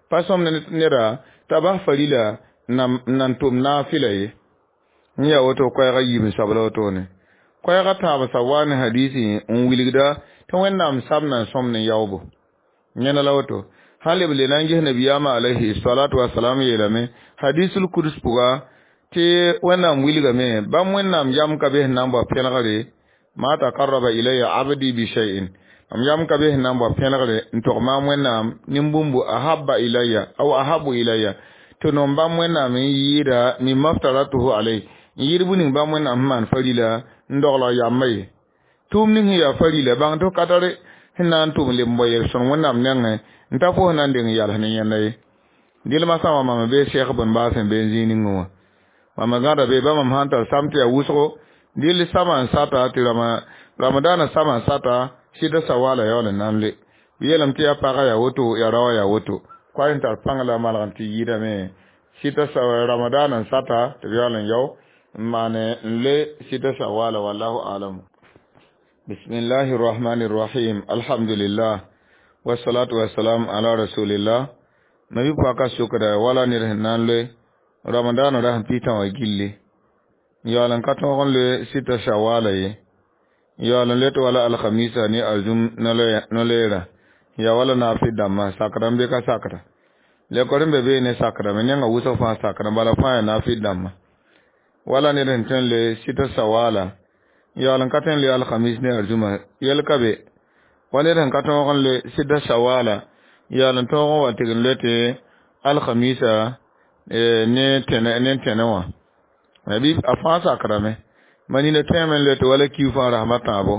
pa sõmd neda t'a bas farila n na n tʋm naafɩla ye n yaa woto koɛɛgã yiib n soab la wotone koɛɛgã tãab sa wa ne hadisi n wilgda tɩ wẽnnaam samda n sõmd n yaoobo yẽna la woto sã leb le na n ges nabiyaamã alayhi salatu wasalam yeelame hadisul kuds pʋga tɩ wẽnnaam wilgame bãmb wẽnnaam yam ka be sẽn na n bao pẽlgre ma takarraba ilayya abdi bi shay'in mam yam ka be sẽn na n bao pẽlgre n tog maam wẽnnaam nin-bũmbu ahabba ilayya aw ahabu ilayya tɩ nom bãmb wẽnnaam n yɩɩda mimma ftaratuhu alay n yɩɩd bũ ning bãmb wẽnnaam sẽn maan farila n dogl yamba ye tʋʋm ning sẽn yaa farila bãng tɩ ka tare sẽn na n tʋm leb n bao yel-sõng wẽnnaam nengẽ n ta fo sẽn na n deng yals ne yẽnda ye dɩlmã sã wã mam bee sheikh bn baas sẽn be n zĩig ningẽ wã mam gãda be bãmb mam sãn tar sam tɩ yaa wʋsgo dɩl sama n sata tɩ ramadana sama n sata sɩda sawala yaool n na n le b yeelame tɩ yaa pagã yaa woto yaa raoã yaa woto koa sẽn tar pãng la malg n tɩ yɩɩdame sɩda ramadana n sata tɩ b yaool n yao n maane n le sɩda sawala wallahu alam bismillahi rrahmani rrahim alhamdulillah wassalatu wassalam ala rasulillah nabi paka sokda wala ned sẽn na n loe ramadana ra sẽn pɩtã wã gilli yaool n ka tõog n loe sɩta shawala ye yaool n let wala alhamisa ne arzum no-loeera ya wala naafɩ dãmbã sakda n be ka sakda lekor n be bee ne sakdame nengã wʋsg fãa sakda bala fãa yaa naafɩ dãmbã wala ned sẽn tõe n loe sɩta sawala yaool n ka tõe n loe alhamis ne arzuma yɛl ka be wa ned sẽn ka tõog n loe sɩda sawala yaool n tõog n wa tɩg n loe tɩ alhamisa ne tẽne ne tẽne wã bɩ a fãa sakrame ma nina tẽeme n loe tɩ wala kiu fãa rasmã tãabo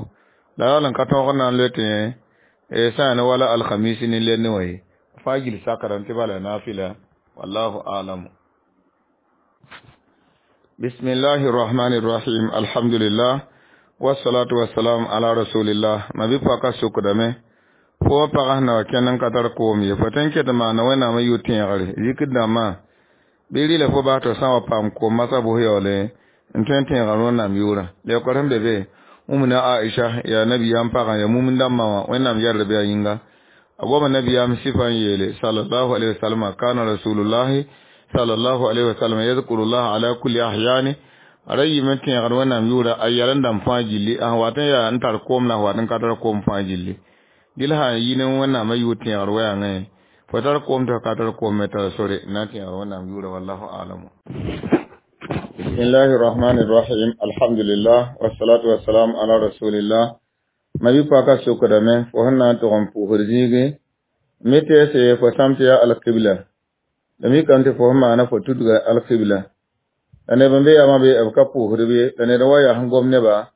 la yaool n ka tõog n na n loe tɩ sã yaa ne wala alhamisi ne lenne wã ye fãa gil sakrame tɩ bala nafila wallahu alamu. Bismillahi rahmani rahim. Alhamdulillah wassalatu wassalam ala rasulillah. Ma bi paka sukdame fo pagã sẽn na wa kẽnd n ka tar koom ye fo tõe n ket n maana wẽnnaamã yʋ tẽegre zikr dãmbã bɩ rɩla fo bas tɩ sã n wa paam koom masã bʋs yaoole n tõe n tẽega rõnnam yʋʋrã leookr sẽn be be Umna Aisha ya nabiyam pagã ya mumn dãmbã wã wẽnnaam yɛrd bɩ a yĩnga a goama nabiyam sɩfa n yeele sallallahu alaihi wasallam kana rasulullahi sallallahu alaihi wasallam yadhkurullah ala kulli ahyani a ra yɩme tẽegd wẽnnaam yʋʋra a yɛl n dãmb fãa gilli a sẽn wat n yaa n tar koom la sẽn wat n ka tar koom fãa gilli dɩl sã n yi ne wẽnnaamã yʋʋr tẽegr wɛɛngẽ fo tar koom tɩ fo ka tar koom me tara sore n na n tẽegr wẽnnaam yʋʋra wallahu alamu. Bismillahi rahmani rahim. Alhamdulillah wassalatu wassalam ala rasulillah. Ma bi paka sokdame fo sẽn na n tʋg n pʋʋsd zĩigẽ me teese fo sãm tɩ yaa alqibla la mikame tɩ fo sẽn maana fo tudga alqibla la neb n be yamã be b ka pʋʋsd be la ned wa yaa sẽn gom neba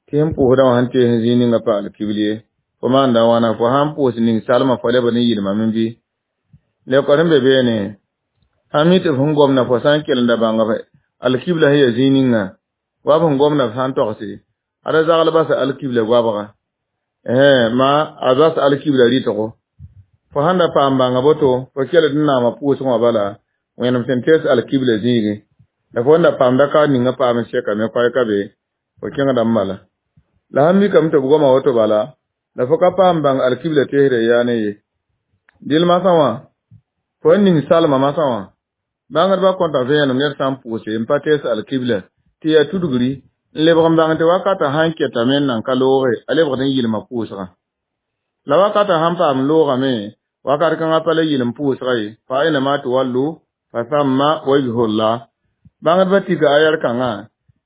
tɩ sẽn pʋʋsdã wã sẽn tees zĩig ninga pa alqibl ye fo maanda wãna fo sãn pʋʋs ning salmã fo lebd n yɩlmame bɩ leookr sẽn be beene sãn mi tɩ f sẽn gomda fo sã n kelenda bãng alkibla sẽn yaa zĩig ninga wa b sẽn gomda f sã n togse ada zagl basa alkibla goabga ma a bas alkibla rɩtgo fo sãn da paam bãnga boto fo keled n naama pʋʋsg wã bala wẽnem sẽn tees alkibla zĩigẽ la fo da paamda ka ninga paam n sɛkame koɛɛka be fo kẽngda n bala la sãn mikame tɩ b goma woto bala la fo ka paam bãng alkibla teesdã yaa ne ye dɩl masã wã fo n ning salmã masã wã bãngdbã kõta vẽenem ned sã n pʋʋse n pa tees alkibla tɩ yaa tudgri n lebg n bãng tɩ wakatã sãn ketame n nan ka looge a lebgd n yɩlma pʋʋsgã la wakatã sãn paam loogame wakat kãngã pa la yɩlem pʋʋsga ye fa ainama tuwallu fa thamma wajhullah bãngdbã tika ayar kãngã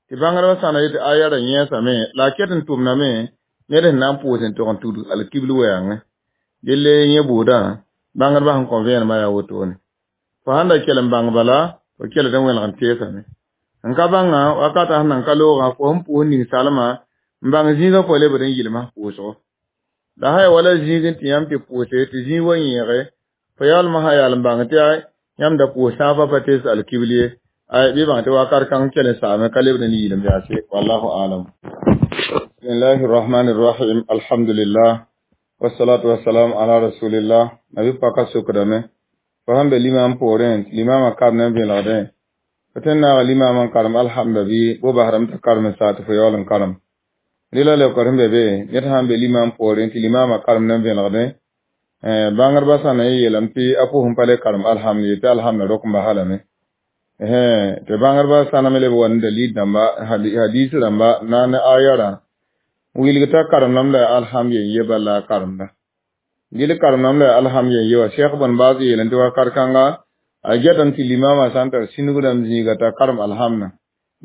tɩ bãngdbã sãna yetɩ ayarã yẽesame la a ket n tʋmdame ned sẽn na n pʋʋs n tog n tudg alkibl wɛɛngẽ delle yẽ buudã bãngdbã sẽn kõ vẽenemã yaa wotone fo sãn da kell n bãng bala fo keled n wẽlg n teesame n ka bãngã wakatã sẽn nan ka loogã fo sẽn pʋʋs ning salmã n bãng zĩigã fo lebd n yɩlmã pʋʋsgo la sã ya wala zĩig n tɩ yãmb tɩ pʋʋse tɩ zĩig wa yẽege fo yaoolmã sã yaal n bãng tɩ yãmb da pʋʋs sãafã pa tees alkibl ye ay bɩ bãng tɩ wakat kãng kell n saame ka lebd n yɩlem yaase wallahu alam. Bismillahi rahmani rahim. Alhamdulillah wassalatu wassalam ala rasulillah. Nabi paka sokdame fo sãn be limam poorẽ tɩ limamã karem n vẽlgdẽ fo tõe n naaga limamã n karem alhamda bɩ bo basdame t'a karem n saa tɩ fo yaool n karem rɩla leookr sẽn be be ned sãn be limam poorẽ tɩ limamã karemd n vẽlgdẽ bãngdbã sã na n yeelame tɩ a pʋʋs n pa le karem alhamd ye tɩ alhamda rok n basa lame tɩ bãngdbã sãname leb wa ne dalil dãmba hadis rãmba na ne ayarã wilg t'a karemdame la alhamd yen ye bala a karemda gil karemdame la alhamd yen ye wa Cheikh bn Baaz yeelẽ tɩ wakat kãnga a getame tɩ limamã sã n tar sĩnug rãmb zĩiga t'a karem alhamdã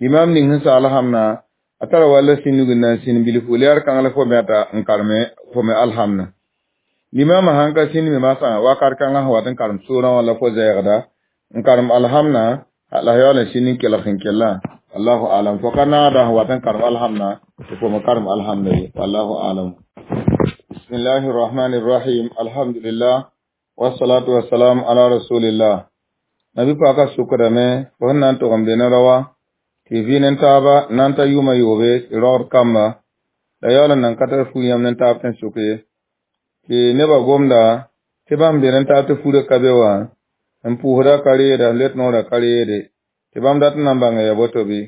limam ning sẽn sa alhamdã a tara walla sĩnug n na n sĩn bilfu leer kãng la fo meta n kareme fo me alhamdã limamã sãn ka sĩnd me masã wakat kãngã sẽn wat n karem soorã wã la fo zɛɛgda n karem alhamdã la yaool n sĩnd n kelg sẽn kellã allahu alam fo ka naagda sẽn wat n karem alhamdã tɩ fo me karem alhamda ye wallahu alam. Bismillahi rahmani rahim. Alhamdulillah wassalatu wassalam ala rasulillah. Nabi paka sukdame fo sẽn na n tʋg n be ne rawa tɩ vɩ ne taaba na n ta yʋʋmã yoobe tɩ raood kamba la yaool n nan ka tar fu yãmb ne taab tɩ n sʋk ye tɩ nebã gomda tɩ bãmb be ne taab tɩ furã ka be wã n pʋʋsda ka reeda let noorã ka reede tɩ bãmb dat n na n bãnga ya boto bɩ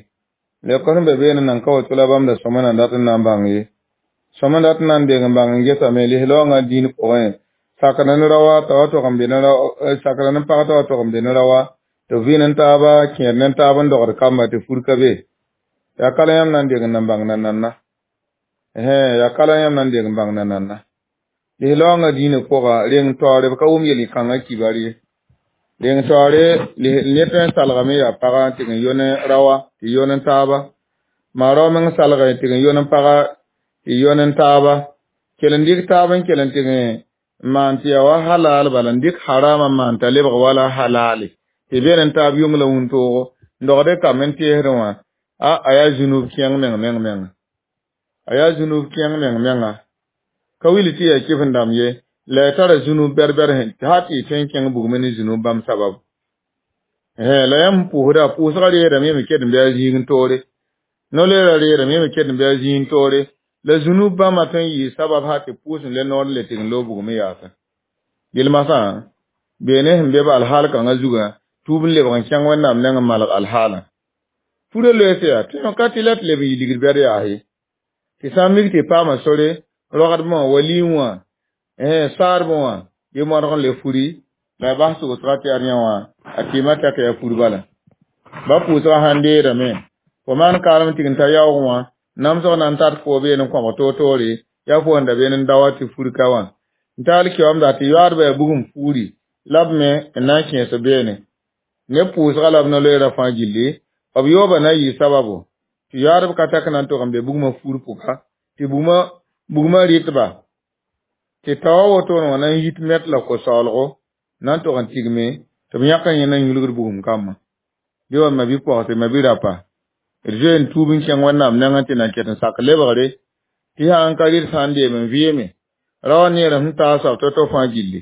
leookr sẽn be beene nan ka woto la bãmb da sõma nan dat n na n bãng ye sõma dat n na n deng n bãng n gesame lislaoongã dĩin pʋgẽ sakra ne rawa t'a wa tog n be ne sakra ne pag t'a wa tog n be ne rawa tɩ vɩ ne taaba kẽer ne taab n dogd kamba tɩ fur ka be yaa kala yãmb na n deng n na n bãng nananna yaa kala yãmb na n deng n bãng nananna lislaoongã dĩinã pʋga reng taoore b ka wʋm yel-kãngã kibar ye reng taoore ned tõe n salgame yaa pagã tɩ n yone rawa tɩ yon n taaba maa rao meng salga tɩ n yon n paga tɩ yon n taaba kell n dɩk taab n kell n tɩ n maan tɩ yaa wa halal bala n dɩk harama n maan t'a lebg wala halale tɩ Tɩ be n taab yʋng la wũntoogo n dogd kam n teesdẽ wã a a yaa zũnub kẽng meng meng menga a yaa zũnub kẽng meng menga ka wilg tɩ yaa kɩf n dãmb ye la y tara zũnub bɛr-bɛr hal tɩ y tõe n kẽng bugmẽ ne zũnub bãmb sababu la yãmb pʋʋsda pʋʋsgã reedame me ket n bɩ a zĩig n toore no-leerã reedame me ket n bɩ a zĩig n toore la zũnub bãmba tõe n yɩɩ sabab hal tɩ pʋʋs n le noor n le tɩg n loog bugmẽ yaasẽ yel masã beene sẽn be b alhaal kãngã zugã tuub n lebg n kẽng wẽnnaam neng n malg alhaalã purã loeese yaa tɩ ka tɩ la tɩ leb n yɩ ligd bɛd yaas ye tɩ sã n mik tɩ paama sore rogdbẽ wã wa liim wã saadbẽ wã yɩ modg n le furi la a bas togsga tɩ ad yã wã a kɩɩmã tak yaa fur bala ba pʋʋsgã sãn deedame fo maan kaalem tɩg n ta yaoog wã namsg na n tat fo been n kõbg toor-toore yaa fo n da been n daoa tɩ fur ka wã n taal keoamda tɩ yoaadbã yaa bugum fuuri la b me n na n kẽes beene ne pʋʋsga la b no-loeerã fãa gilli b yooba na yɩ sababu tɩ yoaadb ka tak na n tog n be bugmã fuur pʋga tɩ bugmã bugmã rɩtba tɩ taoa wotone wã na n yit met la ko-saoolgo na n tog n tigme tɩ b yãk n yẽ na n yulgd bugum kambã bɩ wa ma bi-pɔgse ma bi-rapa d zoe n tuub n kẽng wẽnnaam nengẽ tɩ na ket n sak lebgre tɩ sã n ka rɩd sã n deem n vɩɩme raoã neer sẽn taa soab to-to fãa gilli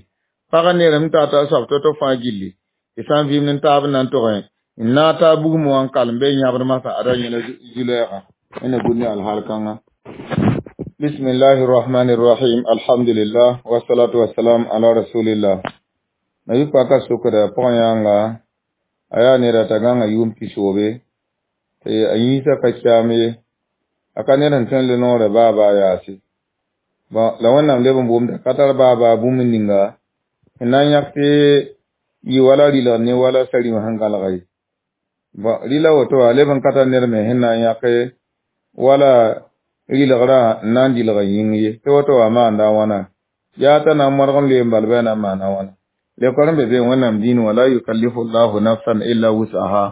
pagã neer sẽn taa ta soab to-to fãa gilli tɩ sã n vɩɩm n taab n na n togẽ n naag taa bugum wã n kalem bɩ yãbd masã ada yẽla zu-lɛɛga wẽnna gũud ne alhaal kãngã بسم الله الرحمن الرحيم الحمد لله والصلاة والسلام على رسول الله nabi paka sokda pʋgẽ yãnga a yaa neda t'a gãngã yʋʋm pisoobe tɩ a yĩnsã ka kyam ye a ka ned sẽn tõe n le noorã baa baa yaase bɔn la wẽnnaam leb n boomda ka tar baa baa bũmb ninga sẽn na n yãk tɩ yɩ wala rɩlg ne wala sarĩwã sẽn gãlga ye bɔn rɩla woto wã leb n ka tar ned me sẽn na n yãk wala rɩlgrã n na n dɩlg yĩng ye tɩ woto wã maanda a wãna yaa t'a na n modg n loe n bal bɩ a na n maana wãna lekor n be be wẽnnaam dĩin wã la yukallifu llahu nafsan illa wus'aha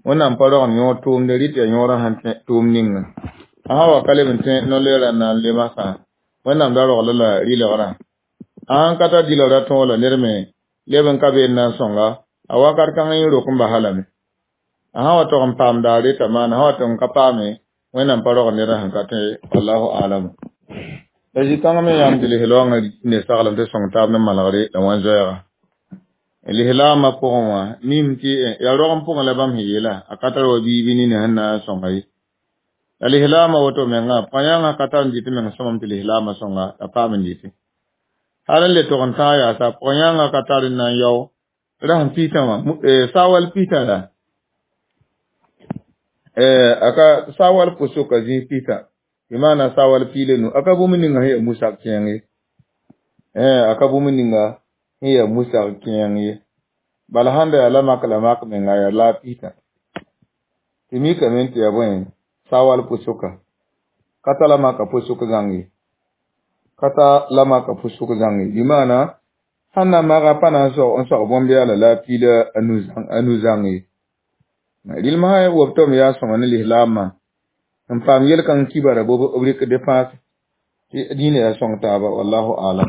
wẽnnaam pa rogend yõor tʋʋmde rɩt yaa yõorã sẽn tʋʋm ninga a sã wa ka leb n tẽ no-loeerã n na n le masã wẽnnaam da rogl la rɩlgrã a sãn ka tar dɩlgrã tõog la ned me leb n ka been na n sõnga a wakat kãng yẽ rok n basa lame a sã wa tog n paamda a reta maana sã wa tog n ka paame wẽnnaam pa rogend ned sẽn ka tõe wallahu alam la zĩ-kãng me yãmb tɩ lislaoongã ne saglem tɩ sõng taab ne malgre la wãn zoɛɛga lislaamã pʋgẽ wã mim tɩ yaa rog n pʋgẽ la bãmb sẽn yeela a ka tar wa biibi nina sẽn na n sõnga ye la lislaamã woto mengã pʋgã ka tar n dɩt meng sõmam tɩ lislaamã sõnga la paam n dɩte hal n le tog n tãag yaasa pʋgã yãngã ka tar n na n yao rasẽn pita wã saawal pita la aka saawal pʋsʋka zĩig pita tɩ maana saawal piila nu aka bũmb ninga sẽn yaa musak kẽeng ye aka bũmb ninga sẽn yaa musak kẽeng ye bala sãn da yaa la mak la mak menga yaa la pita tɩ mikame tɩ yaa bõe saawal pʋsʋka ka ta la maka pʋsʋk zãng ye ka ta la maka pʋsʋk zãng ye bɩ maana sãn na maga pa na n sog bõn-beala la a piila a nu zãng ye rɩlmsã wobtame yaa sõma ne lislaamã n paam yel-kãng kibara b rɩk dépense tɩ dĩinã yaa sõng taaba wallahu alam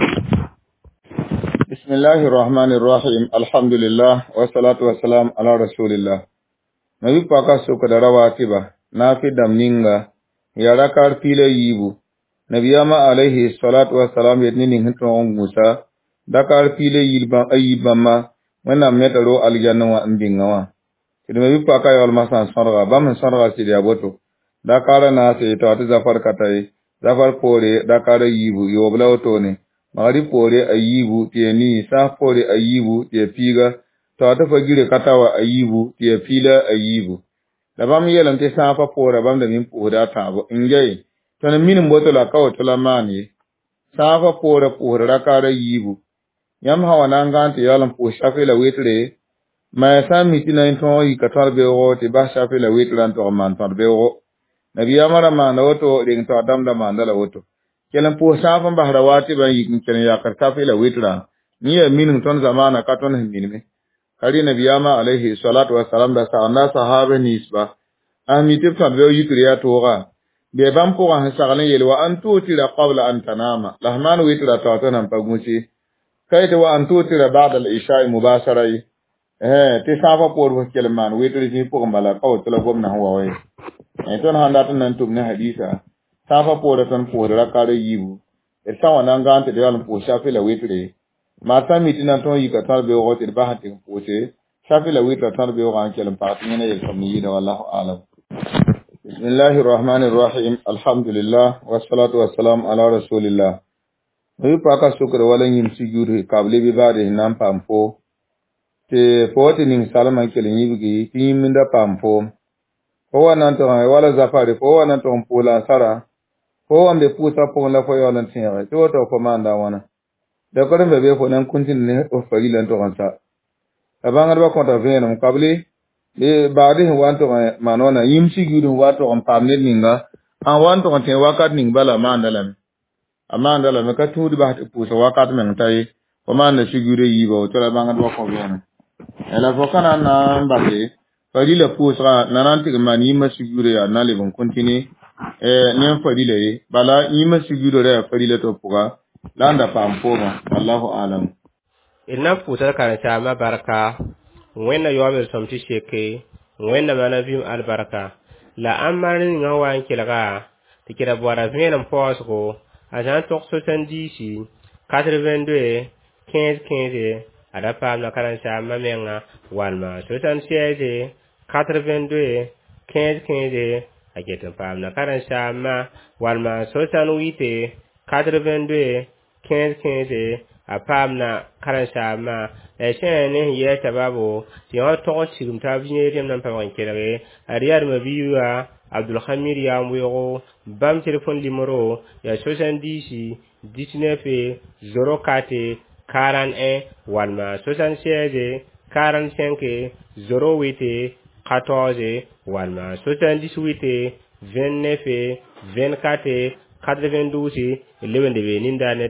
بسم الله الرحمن الرحيم الحمد لله والصلاة والسلام على رسول الله nabi paka sokda rawatiba nafi dam ninga ya rakar pila yibu nabiyama alaihi salatu wassalam yet ne ning tõog n gũusa dakar pila yilbã a yiib bãmba wẽnnaam neta ro aljanna wã n bĩnga wã tɩ d me bɩ paka yaoolmã sã n sõdga bãmb sẽn sõdga sɩd yaa boto dakara naase tɩ wa tɩ zafar ka ta ye zafar poore dakara yiibu yoob la wotone magrib poore a yiibu tɩ ya nii sãas poore a yiibu tɩ ya piiga tɩ wa tɩ fa gire ka ta wa a yiibu tɩ ya piila a yiibu la bãmb yeelame tɩ sãafã poora bãmb da min pʋʋsda a tãabo n gai tõnd minim boto la ka woto la maan ye sãafã poora pʋʋsd rakaara yiibu yãmb sã wa na n gãan tɩ yaool n pʋʋs shafe la wetre ma ya sã n mi tɩ na n tõog yika tõd-beoogo tɩ bas shafe la wetrã n tog n maan tõd-beoogo nabiyaamã ra maanda woto reng taoor dãmb da maanda la woto kell n pʋʋs sãaf n basra waatɩ bã n yik n kell n yakr safe la wetrã yẽ yaa mining tõnd zamaana ka tõnd sẽn minime ka rɩ nabiyaamã alayhi salatu wasalam da sagenda sahaba ninsba a mi tɩ b tõd-beoog yikr yaa tooga bɩ bãmb pʋgã sẽn sagl n yeel wa an tutira qabla an tanama la f maan wetra taoor tɩ nan pa gũse ka yetɩ wa an tutira ba'da al-isha'i mubashara ye Eh, tɩ sãafã poor fo kell n maan wetr zĩig pʋgẽ bala ka woto la gomdã sẽn wa wa ye. Tõnd sãn dat n na n tʋm ne hadiisa, sãafã poorã tõnd pʋʋsd raka a yiibu. D sã n wa na n gãan tɩ d yaool n pʋʋs safi la witre, maa sã n mi tɩ na n tõog yika tõd beoogã tɩ d bas n tɩ n pʋʋse safi la witrã tõd beoogã n kell n pag tɩ yẽna yel-sõmd yɩɩda wallahu alam. بسم الله الرحمن الرحيم الحمد لله والصلاة والسلام على رسول الله wi paka sukr wala yĩm sujud kable bɩ baade sẽn na n paam fo tɩ fo wa tɩ ning salmã n kell n yibgi tɩ yĩmb da paam foom fo wa na n tʋg wala zafare fo wa na n tʋg n pʋʋs la ansara fo wa n be pʋʋsgã pʋgẽ la fo yaool n tẽege tɩ woto fo maanda a wãna dakor n be be fo na n kũntĩnd ne f farila n tʋg n sa la bãngdbã kõta vẽenem kable baagd sẽn wa n tʋg n maan wãna yĩm sugud sẽn wa tʋg n paam ned ninga sãn wa n tʋg n tẽ wakat ning bala a maanda lame a maanda lame ka tũud bas tɩ pʋʋsg wakat meng ta ye fo maanda sugudã yiiba woto la bãngdbã kõ vẽenem la fo ka na n na n base farila pʋʋsgã na na n tɩg n maan yĩmã sugudã yaa na leb n kõntine ne n farila ye bala yĩmã sugudã ra yaa farila tɩ b pʋga la n da paam foomã wallahu alam d na n pʋʋsd karen-saambã barka wẽnna yaoom d sõm tɩ seke wẽnna maana vɩɩm albarka la ãmb ninga wa n kelga tɩ kɩra boara vẽenem paoosgo a sã n tog soixante-dix quatre-vingt-deux quinze quinze a da paamda karen-saambã menga walma soixante-seize quatre-vingt-deux quinze quinze a ket n paamda karen-saambã walma soixante-huit quatre-vingt-deux quinze quinze a paamda karen-saambã la sẽn ne sẽn yɛɛ sababo tɩ yõ tog n sigm taab yẽ rẽmb na n paoog n kelge a riyadmã biiga Abdulhamid yaa n weoogo bãmb telefon nimero yaa soixante-dix dix-neuf zéro quatre quarante un walma soixante-seize quarante-cinq zéro huit quatorze walma soixante-dix-huit vingt-neuf vingt-quatre quatre-vingt-douze leb n lebe nindaar ne